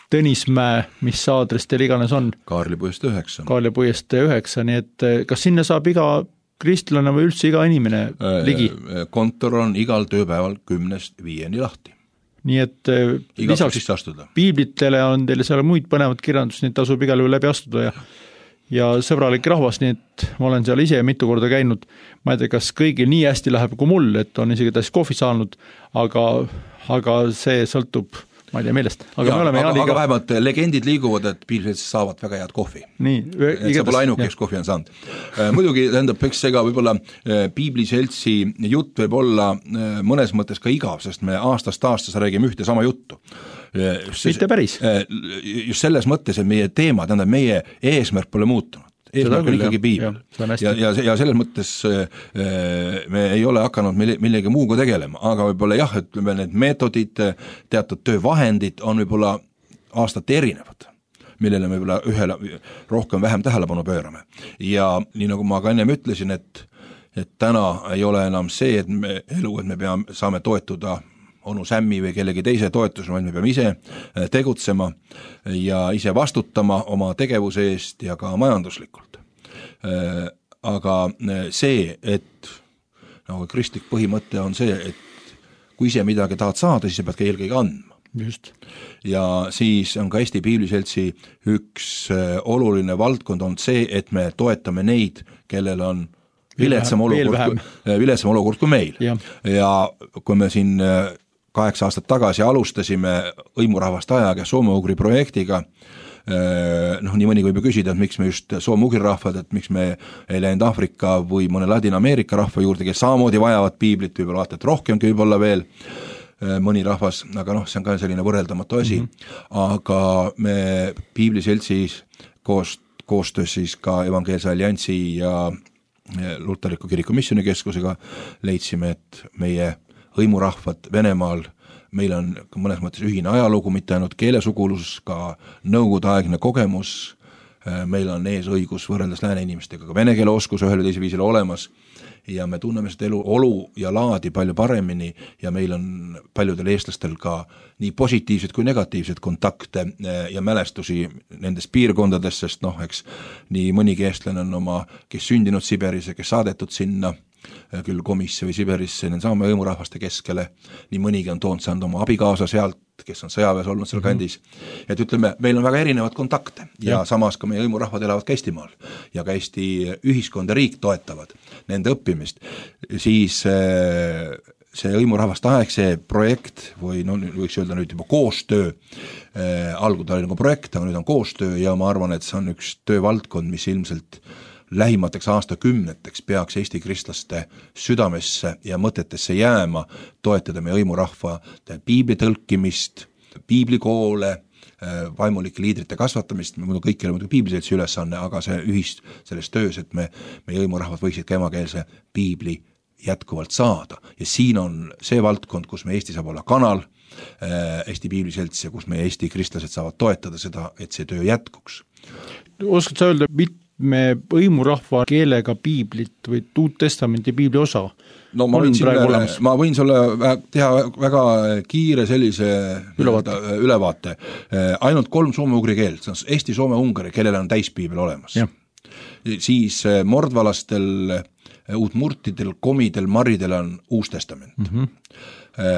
Speaker 2: Tõnismäe, mis aadress teil iganes on?
Speaker 3: Kaarlipuiest 9.
Speaker 2: Kaarlipuiest 9, nii et kas sinna saab iga kristlane või üldse iga inimene ligi?
Speaker 3: Kontor on igal tööpäeval 10-5 lahti.
Speaker 2: Nii et lisaks piiblitele on teile seal muid põnevat kirjandust, neid tasub igal juhul läbi astuda ja sõbralik rahvas, nii et ma olen seal ise mitu korda käinud, ma ei tea, kas kõigil nii hästi läheb kui mul, et on isegi täis kohvi saanud, aga see sõltub, ma ei tea millest.
Speaker 3: Aga vähemalt legendid liiguvad, et Piibliseltsis saavad väga head kohvi. Et see pole ainukeks kohvi on saanud. Muidugi tähendab, eks ega võib-olla Piibliseltsi jutt võib olla mõnes mõttes ka igav, sest me aastast aastas räägime ühte sama juttu.
Speaker 2: Mitte päris.
Speaker 3: Just selles mõttes, et meie teema, tähendab meie eesmärk pole muutunud. Eesmärk on ikkagi piibel. Ja selles mõttes me ei ole hakanud millegi muuga tegelema, aga võib-olla jah, et need meetodid, teatud töövahendid on võib-olla aastate erinevad, millele me võib-olla ühele rohkem vähem tähelepanu pöörame. Ja nii nagu ma ka ennem ütlesin, et täna ei ole enam see, et me saame toetuda onu Sämmi või kellegi teise toetusel, vaid me peame ise tegutsema ja ise vastutama oma tegevuse eest ja ka majanduslikult. Aga see, et nagu kristlik põhimõte on see, et kui ise midagi tahad saada, siis sa pead ka eelkõige andma.
Speaker 2: Just.
Speaker 3: Ja siis on ka Eesti Piibliseltsi üks oluline valdkond on see, et me toetame neid, kellel on viletsam olukord kui meil. Ja kui me siin 8 aastat tagasi alustasime hõimurahvast ajaga soome-ugri projektiga, nii mõni võib ju küsida, et miks me just soome-ugri rahvad, et miks me ei läinud Aafrika või mõne Ladina-Ameerika rahva juurde, kes samamoodi vajavad piiblit, võib-olla vaata, et rohkemgi võib-olla veel mõni rahvas, aga see on ka selline võrreldamatu asi, aga me Piibliseltsis koostöös siis ka Evangeelse Alliansi ja Luteriku kiriku missioonikeskusega leidsime, et meie hõimurahvad Venemaal, meil on mõnes mõttes ühine ajalugu, mitte ainult keelesugulus, ka nõukogudeaegne kogemus, meil on ees õigus võrreldes lääne inimestega ka vene keele oskus ühel või teisel viisil olemas ja me tunneme seda olu ja laadi palju paremini ja meil on paljudel eestlastel ka nii positiivsed kui negatiivsed kontakte ja mälestusi nendes piirkondades, sest eks nii mõnigi eestlane on kes sündinud Siberis ja kes saadetud sinna, küll Komisse või Siberisse, saame hõimurahvaste keskele, nii mõnigi on saanud oma abikaasa sealt, kes on sõjaväes olnud seal kandis, et ütleme, meil on väga erinevad kontakte ja samas ka meie hõimurahvad elavad ka Eestimaal ja ka Eesti ühiskond ja riik toetavad nende õppimist, siis see hõimurahvaste aeg, see projekt või võiks öelda nüüd juba koostöö, algul oli nagu projekt, aga nüüd on koostöö ja ma arvan, et see on üks töövaldkond, mis ilmselt lähimateks aastakümneteks peaks Eesti kristlaste südamesse ja mõtetesse jääma, toetada meie hõimurahva piibli tõlkimist, piiblikoole, vaimulike liidrite kasvatamist, kõik ei ole muidugi Piibliseltsi ülesanne, aga see selles töös, et meie hõimurahvad võiksid ka emakeelse piibli jätkuvalt saada. Ja siin on see valdkond, kus me Eesti saab olla kanal, Eesti Piibliselts ja kus meie Eesti kristlased saavad toetada seda, et see töö jätkuks.
Speaker 2: Oskad sa öelda, me hõimurahva keelega piiblit või Uut Testamenti piibli osa
Speaker 3: ma võin sulle teha väga kiire sellise ülevaate. Ainult 3 soome-ugri keelt, see on eesti, soome, ungari, kellel on täispiibel olemas. Siis mordvalastel, uutmurtidel, komidel, maridel on Uus Testament.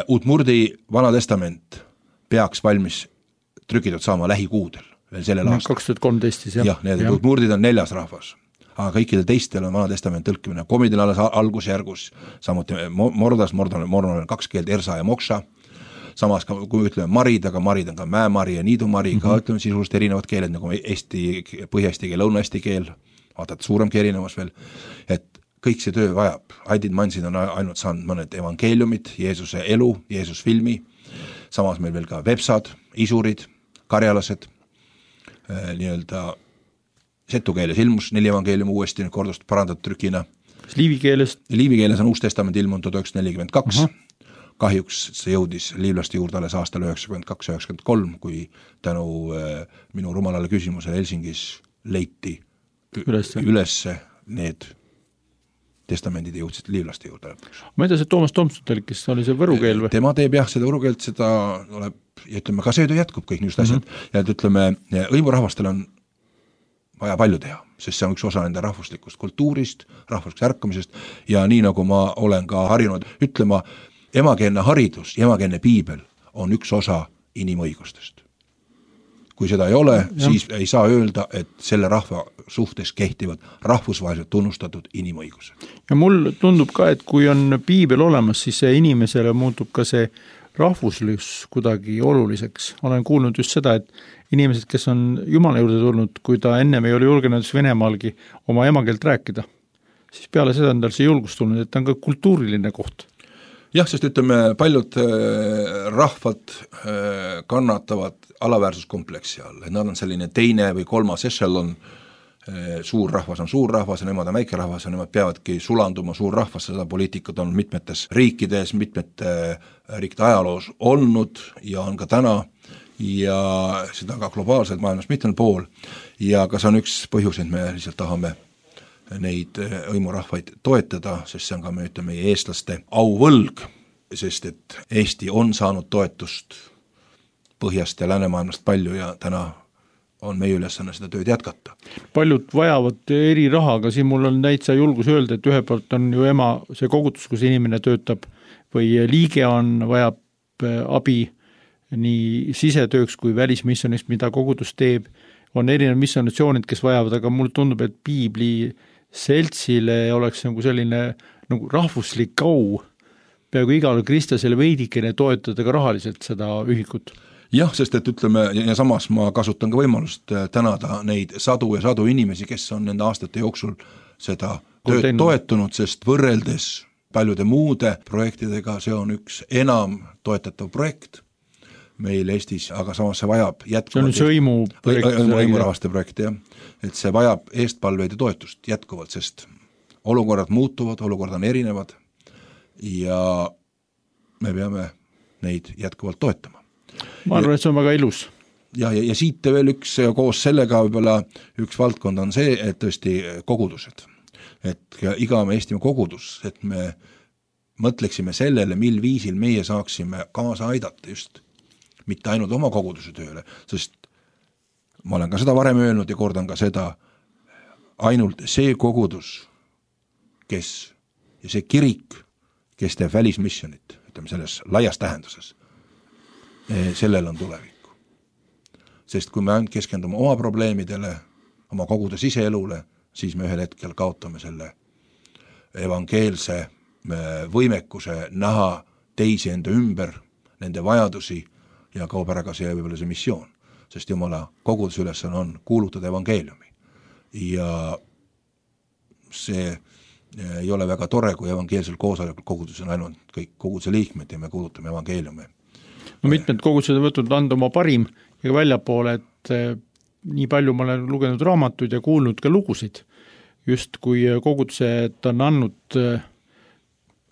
Speaker 3: Uutmurdi Vana Testament peaks valmis trükitud saama lähikuudel. Veel sellel aastal.
Speaker 2: 2013 siis,
Speaker 3: jah. Need murdid on 4. rahvas, aga kõikidel teistel on Vana Testament tõlkimine. Komidel alles algusjärgus, samuti mordas, mordal on 2 keelt, ersa ja moksa, samas kui ütleme marid, aga marid on ka mäemari ja niidumari, ka ütleme sisuliselt erinevad keeled, nagu põhja-eesti keel, lõuna-eesti keel, vaatad suuremgi erinevus veel, et kõik see töö vajab. Aidid Mansid on ainult saanud mõned evangeeliumid, Jeesuse elu, Jeesus filmi, samas meil veel ka vepsad, isurid, karjalased, nii-öelda setu keeles ilmus 4 evangeelium uuesti kordust parandatud trükina.
Speaker 2: Liivikeeles
Speaker 3: on Uus Testament ilmunud 1942. Kahjuks see jõudis liivlaste juurde alles aastal 92-93, kui tänu minu rumalale küsimusele Helsingis leiti ülesse need testamendid jõudsid liivlaste juurde.
Speaker 2: Ma ei tea, see Toomas Tomson tõlkis, oli see võru keel või?
Speaker 3: Tema teeb jah seda võru keelt, seda tuleb, ja ütleme, ka see töö jätkub kõik niisugused asjad. Ja ütleme, hõimurahvastel on vaja palju teha, sest see on üks osa nende rahvuslikust kultuurist, rahvuslikust ärkamisest ja nii nagu ma olen ka harjunud ütlema, emakeelne haridus ja emakeelne piibel on üks osa inimõigustest. Kui seda ei ole, siis ei saa öelda, et selle rahva suhtes kehtivad rahvusvaheliselt tunnustatud inimõigused.
Speaker 2: Ja mul tundub ka, et kui on piibel olemas, siis see inimesele muutub ka see rahvuslus kuidagi oluliseks. Olen kuulnud just seda, et inimesed, kes on Jumala juurde tulnud, kui ta ennem ei ole julgenud Venemaalgi oma emakeelt rääkida, siis peale seda on tal see julgus tulnud, et ta on ka kultuuriline koht.
Speaker 3: Jah, sest ütleme, paljud rahvad kannatavad alaväärsuskompleksi all, et nad on selline teine või 3. ešelon, suur rahvas on suur rahvas ja nemad on väike rahvas ja nemad peavadki sulanduma suur rahvas, seda poliitikat on mitmetes riikides, mitmete riikide ajaloos olnud ja on ka täna ja seda ka globaalselt maailmas mitmel pool ja ka see on üks põhjus, et me lihtsalt tahame neid hõimurahvaid toetada, sest see on ka meie eestlaste auvõlg sest et Eesti on saanud toetust põhjast ja läänemaailmast palju ja täna on meie ülesanne seda tööd jätkata.
Speaker 2: Paljud vajavad eri raha, aga siin mul on täitsa julgus öelda, et ühe poolt on ju see kogutus, kus inimene töötab või liige vajab abi nii sisetööks kui välismissionist, mida kogudus teeb, on erinevad missionatsioonid, kes vajavad, aga mulle tundub, et Piibli seltsile oleks nagu selline nagu rahvuslik au, peaaegu igale kristlasele veidikene toetada ka rahaliselt seda ühikut.
Speaker 3: Jah, sest et ütleme, ja samas ma kasutan ka võimalust tänada neid sadu ja sadu inimesi, kes on nende aastate jooksul seda tööd toetunud, sest võrreldes paljude muude projektidega see on üks enam toetatav projekt meil Eestis, aga samas see vajab jätkuvalt.
Speaker 2: See on
Speaker 3: sõimurahaste projekt, jah. Et see vajab eestpalveid ja toetust jätkuvalt, sest olukorrad muutuvad, olukorrad on erinevad ja me peame neid jätkuvalt toetama.
Speaker 2: Ma arvan, et see on väga ilus.
Speaker 3: Ja siit veel üks koos sellega võib-olla üks valdkond on see, et tõesti kogudused. Et iga Eestimaa kogudus, et me mõtleksime sellele, mil viisil meie saaksime kaasa aidata just mitte ainult oma koguduse tööle, sest ma olen ka seda varem öelnud ja kordan ka seda, ainult see kogudus, kes ja see kirik, kes teeb välismissionit, ütleme selles laias tähenduses, sellel on tulevikku. Sest kui me ainult keskendume oma probleemidele, oma kogude siseelule, siis me ühel hetkel kaotame selle evangeelse võimekuse näha teisi enda ümber, nende vajadusi ja kaob ära ka see võib-olla see missioon, sest Jumala koguduse ülesanne on kuulutada evangeeliumi. Ja see ei ole väga tore, kui evangeelsel koosolekul kogudus on ainult kõik koguduse liikmed ja me kuulutame evangeeliumi.
Speaker 2: No mitmed kogudused on võtnud anda oma parim ja ka väljapoole, et nii palju ma olen lugenud raamatuid ja kuulnud ka lugusid, just kui kogudused on andnud,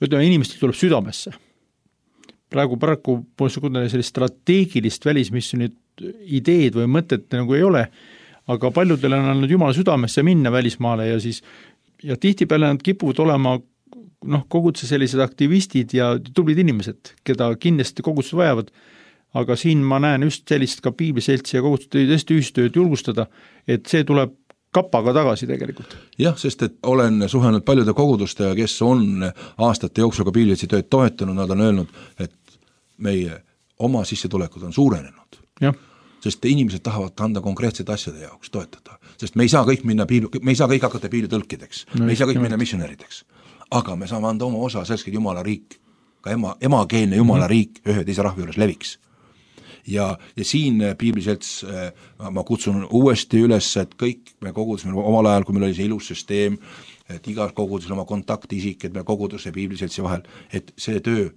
Speaker 2: ütleme, inimestel tuleb südamesse. Praegu paraku sellist strateegilist välismissionit ideed või mõtet nagu ei ole, aga paljudel on andnud Jumala südamesse minna välismaale ja tihtipeale nad kipuvad olema koguduse sellised aktivistid ja tublid inimesed, keda kindlasti kogudused vajavad, aga siin ma näen just sellist ka piibliseltsi ja kogudused tõesti ühistööd julgustada, et see tuleb kapaga tagasi tegelikult.
Speaker 3: Jah, sest et olen suhelnud paljude kogudustega, kes on aastate jooksul ka piibliseltsi tööd toetanud, nad on öelnud, et meie oma sissetulekud on suurenenud.
Speaker 2: Jah.
Speaker 3: Sest inimesed tahavad anda konkreetsed asjade jaoks toetada, sest me ei saa kõik hakata piiblitõlkideks, me ei saa kõik minna missionärideks, aga me saame anda oma osa selleks, et Jumala riik, ka emakeelne Jumala riik ühe teise rahva juures leviks. Ja siin piibliselts ma kutsun uuesti üles, et kõik me kogudus, omal ajal, kui meil oli see ilus süsteem, et igal kogudusel oma kontaktisik, et me koguduse ja piibliseltsi vahel, et see töö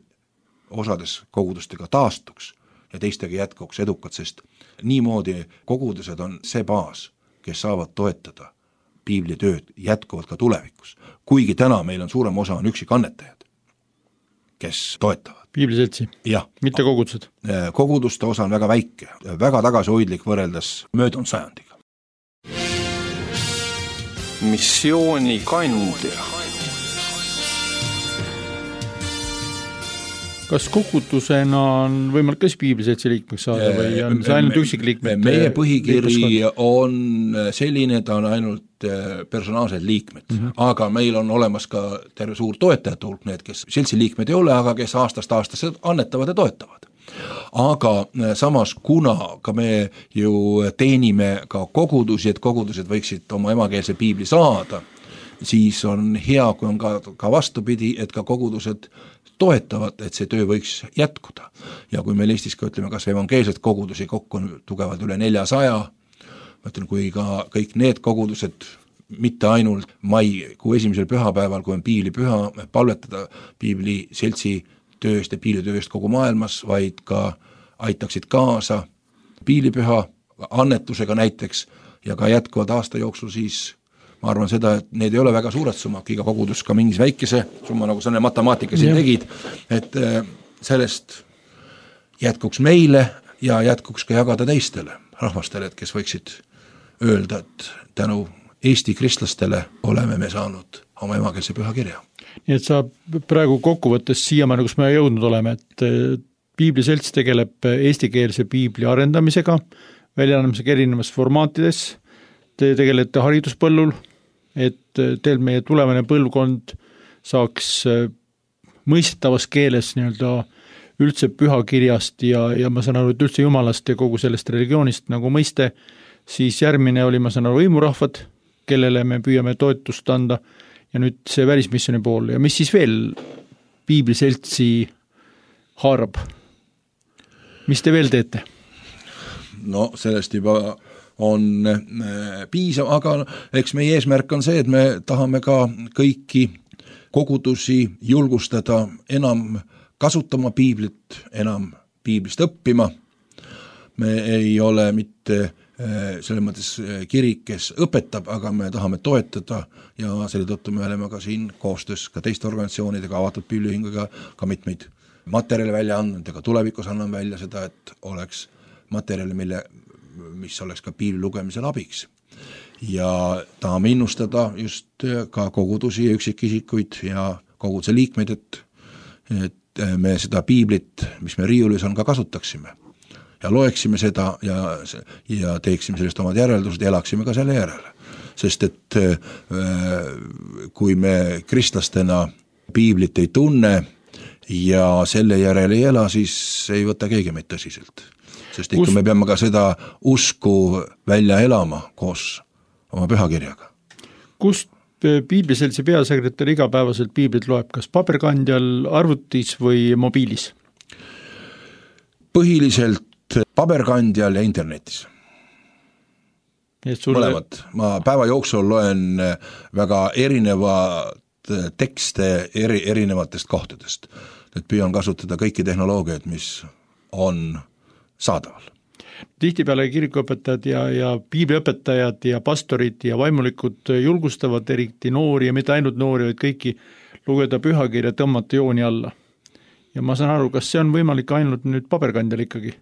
Speaker 3: osades kogudustega taastuks ja teistega jätkuks edukad, sest niimoodi kogudused on see baas, kes saavad toetada piiblitööd jätkuvalt ka tulevikus. Kuigi täna meil on suurem osa on üksikannetajad, kes toetavad.
Speaker 2: Piibliseltsi, mitte kogudused.
Speaker 3: Koguduste osa on väga väike, väga tagasihoidlik võrreldes möödunud sajandiga.
Speaker 1: Missiooni kandja.
Speaker 2: Kas kogudusena on võimalik kas piibliseltsi liikmeks saada või on see ainult üksikliikmed?
Speaker 3: Meie põhikiri on selline, ta on ainult personaalsed liikmed, aga meil on olemas ka terve suur toetajate hulk, need, kes seltsi liikmed ei ole, aga kes aastast aastasse annetavad ja toetavad. Aga samas, kuna ka me ju teenime ka kogudusi, et kogudused võiksid oma emakeelse piibli saada, siis on hea, kui on ka vastupidi, et ka kogudused toetavad, et see töö võiks jätkuda. Ja kui meil Eestis ka ütleme, kas evangeelset kogudusi kokku on tugevalt üle 400, ma ütlen, kui ka kõik need kogudused, mitte ainult maikuu esimesel pühapäeval, kui on piiblipüha, palvetada piibli seltsi tööst ja piiblitööst kogu maailmas, vaid ka aitaksid kaasa piiblipüha annetusega näiteks ja ka jätkuvad aasta jooksul, siis ma arvan seda, et need ei ole väga suured summad, iga kogudus ka mingis väikese summa, nagu selle matemaatika siin tegid, et sellest jätkuks meile ja jätkuks ka jagada teistele rahvastele, et kes võiksid öelda, et tänu Eesti kristlastele oleme me saanud oma emakeelse pühakirja.
Speaker 2: Nii et sa praegu kokkuvõttes siiamaani, kus me jõudnud oleme, et Piibliselts tegeleb eestikeelse piibli arendamisega, väljaandmisega erinevas formaatides, te tegelete hariduspõllul, et teil meie tulevane põlvkond saaks mõistetavas keeles nii-öelda üldse pühakirjast ja ma saan aru, et üldse Jumalast ja kogu sellest religioonist nagu mõiste, siis järgmine oli, ma saan aru, võimurahvad, kellele me püüame toetust anda ja nüüd see välismissiooni pool ja mis siis veel Piibliseltsi haarab? Mis te veel teete?
Speaker 3: No sellest juba on piisav, aga eks meie eesmärk on see, et me tahame ka kõiki kogudusi julgustada enam kasutama piiblit, enam piiblist õppima. Me ei ole mitte selles mõttes kirik, kes õpetab, aga me tahame toetada ja selle tõttu me oleme ka siin koostöös ka teiste organisatsioonidega, avatud piibliühinguga ka mitmeid materjali välja andnud ja ka tulevikus annan välja seda, et oleks materjali, mis oleks ka piibli lugemisel abiks. Ja tahame innustada just ka kogudusi ja üksikisikuid ja koguduse liikmeid, et me seda piiblit, mis me riiulis on, ka kasutaksime. Ja loeksime seda ja teeksime sellest omad järeldused ja elaksime ka selle järele. Sest et kui me kristlastena piiblit ei tunne ja selle järele ei ela, siis ei võta keegi meid tõsiselt. Sest ikka me peame ka seda usku välja elama koos oma pühakirjaga.
Speaker 2: Kust Piibliseltsi peasekretär igapäevaselt piiblit loeb, kas paberkandjal, arvutis või mobiilis?
Speaker 3: Põhiliselt paberkandjal ja internetis. Mõlemad. Ma päeva jooksul loen väga erinevad tekste erinevatest kohtadest. Et püüan kasutada kõiki tehnoloogiaid, mis on saadaval.
Speaker 2: Tihtipeale kirikuõpetajad ja piibliõpetajad ja pastorid ja vaimulikud julgustavad eriti noori ja mitte ainult noori, vaid kõiki lugeda pühakirja, tõmmata jooni alla. Ja ma saan aru, kas see on võimalik ainult nüüd paberkandjal ikkagi?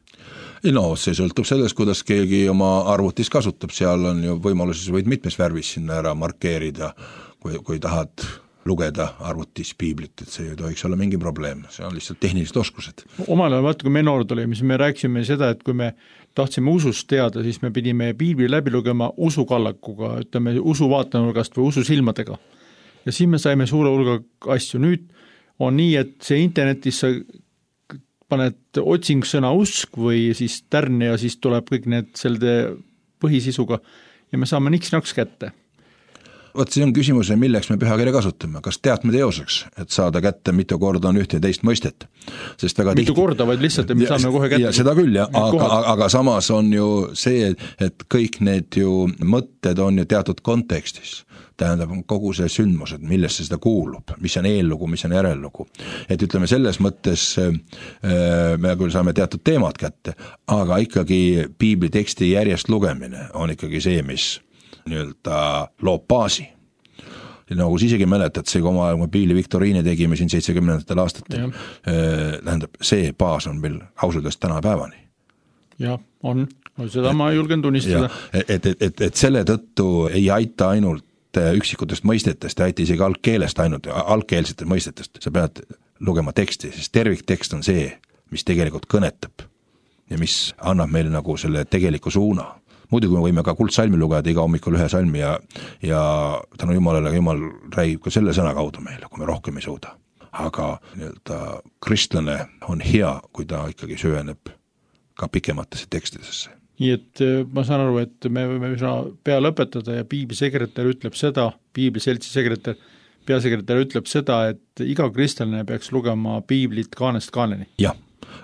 Speaker 3: No see sõltub sellest, kuidas keegi oma arvutis kasutab, seal on ju võimaluses võid mitmes värvis sinna ära markeerida, kui tahad lugeda arvutis piiblit, et see ei tohiks olla mingi probleem, see on lihtsalt tehnilised oskused.
Speaker 2: Omal ajal vaata, kui me noored olime, siis me rääkisime seda, et kui me tahtsime usust teada, siis me pidime piibli läbi lugema usukallakuga, ütleme usu vaatenurgast või usu silmadega. Ja siis me saime suure hulga asju. Nüüd on nii, et see internetis sa paned otsing sõna usk või siis tärn ja siis tuleb kõik need selle põhisisuga ja me saame niks-naks kätte.
Speaker 3: Vot see on küsimus, milleks me pühakirja kasutame, kas teadme teoseks, et saada kätte mitu korda on ühte ja teist mõistet. Sest väga
Speaker 2: mitu korda, vaid lihtsalt, et me saame kohe kätte.
Speaker 3: Ja seda küll, aga samas on ju see, et kõik need ju mõtted on ju teatud kontekstis. Tähendab kogu see sündmus, et millesse seda kuulub, mis on eellugu, mis on järellugu. Et ütleme selles mõttes me küll saame teatud teemad kätte, aga ikkagi piibli teksti järjest lugemine on ikkagi see, mis nii-öelda loob baasi. Ja nagu siis isegi mäletad, see kui oma aeg piibli viktoriini tegime siin 70. aastatel, tähendab, see baas on meil ausudest täna päevani.
Speaker 2: Jah, on. Seda ma julgen tunnistada.
Speaker 3: Et selle tõttu ei aita ainult üksikutest mõistetest, ei aita isegi algkeelest ainult, algkeelsetest mõistetest. Sa pead lugema teksti, sest terviktekst on see, mis tegelikult kõnetab ja mis annab meile nagu selle tegeliku suuna. Muidugi me võime ka kuldsalmi lugeda iga hommikul ühe salmi ja tänu Jumalale, Jumal räägib ka selle sõna kaudu meile, kui me rohkem ei suuda. Aga kristlane on hea, kui ta ikkagi süveneb ka pikematesse tekstidesse.
Speaker 2: Nii et ma saan aru, et me võime pea lõpetada ja piiblisekretär ütleb seda, piibliseltsi sekretär, peasekretär ütleb seda, et iga kristlane peaks lugema piiblit kaanest kaaneni.
Speaker 3: Jah.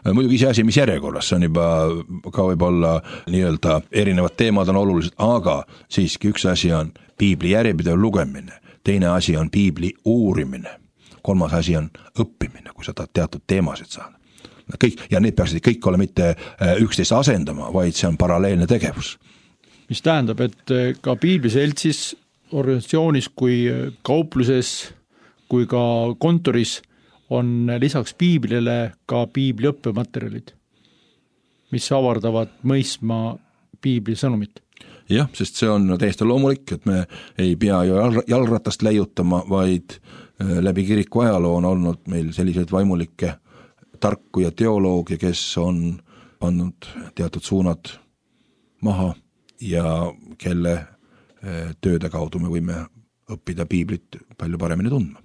Speaker 3: Muidugi see asi, mis järjekorras, see on juba ka võib-olla nii-öelda erinevad teemad on olulised, aga siiski üks asi on piibli järjepidev lugemine, teine asi on piibli uurimine, kolmas asi on õppimine, kui sa tahad teatud teemasid saada. Kõik, ja need peaksid kõik olla mitte üksteist asendama, vaid see on paralleelne tegevus.
Speaker 2: Mis tähendab, et ka piibliseltsis, organisatsioonis kui kaupluses, kui ka kontoris on lisaks piiblile ka piibli õppematerjalid, mis avardavad mõistma piibli sõnumit.
Speaker 3: jah, sest see on täiesti loomulik, et me ei pea ju jalgratast leiutama, vaid läbi kiriku ajaloo on olnud meil selliseid vaimulikke tarku ja teoloogia, kes on pannud teatud suunad maha ja kelle tööde kaudu me võime õppida piiblit palju paremini tundma.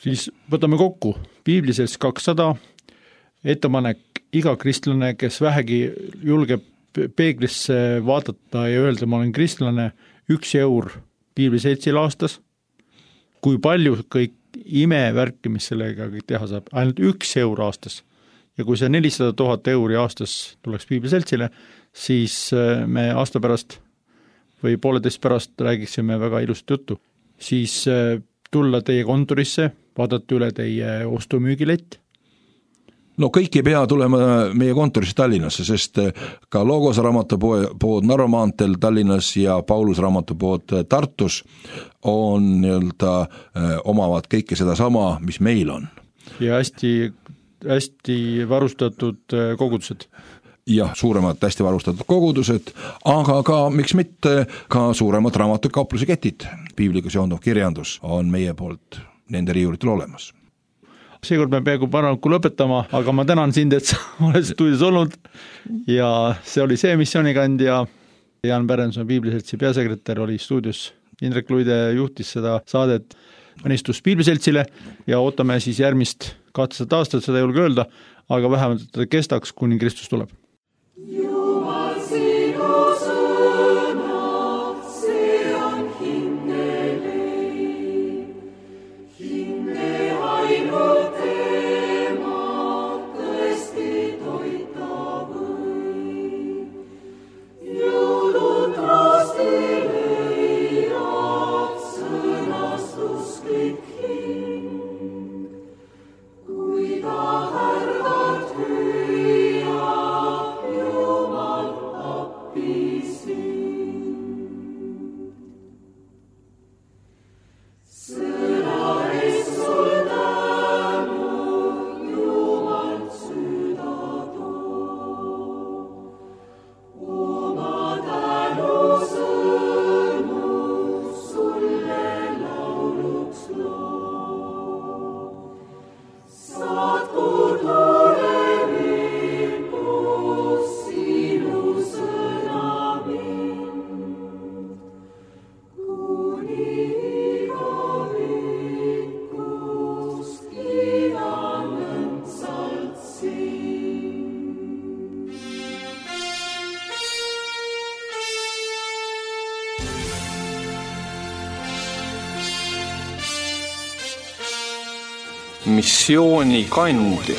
Speaker 2: Siis võtame kokku, piiblises 200, ettepanek iga kristlane, kes vähegi julgeb peeglisse vaadata ja öelda, ma olen kristlane, 1 eur piibliseltsile aastas, kui palju kõik imevärki, mis sellega teha saab, ainult 1 eur aastas. Ja kui see 400 000 euri aastas tuleks piibliseltsile, siis me aasta pärast või 1,5 pärast räägiksime väga ilusat juttu. Siis tulla teie kontorisse, vaadata üle teie ostumüügilett.
Speaker 3: No kõik ei pea tulema meie kontorisse Tallinnasse, sest ka Logos raamatupood Narva maanteel Tallinnas ja Paulus raamatupood Tartus on omavad kõike seda sama, mis meil on.
Speaker 2: Ja hästi varustatud kogudused.
Speaker 3: Jah, suuremad hästi varustatud kogudused, aga ka, miks mitte, ka suuremad raamatukauplusi ketid. Piibliga seonduv kirjandus on meie poolt nende riiulitel olemas.
Speaker 2: Seekord me peaaegu paraku lõpetama, aga ma tänan sind, et sa oled stuudios olnud ja see oli see missioonikandja. Jaan Pärnson, Piibliseltsi peasekretär, oli stuudios. Indrek Luide juhtis seda saadet Õnnistus Piibliseltsile ja ootame siis järgmist 200 aastat, seda ei julge öelda, aga vähemalt ta kestaks, kuni Kristus tuleb.
Speaker 1: Missioonikandja.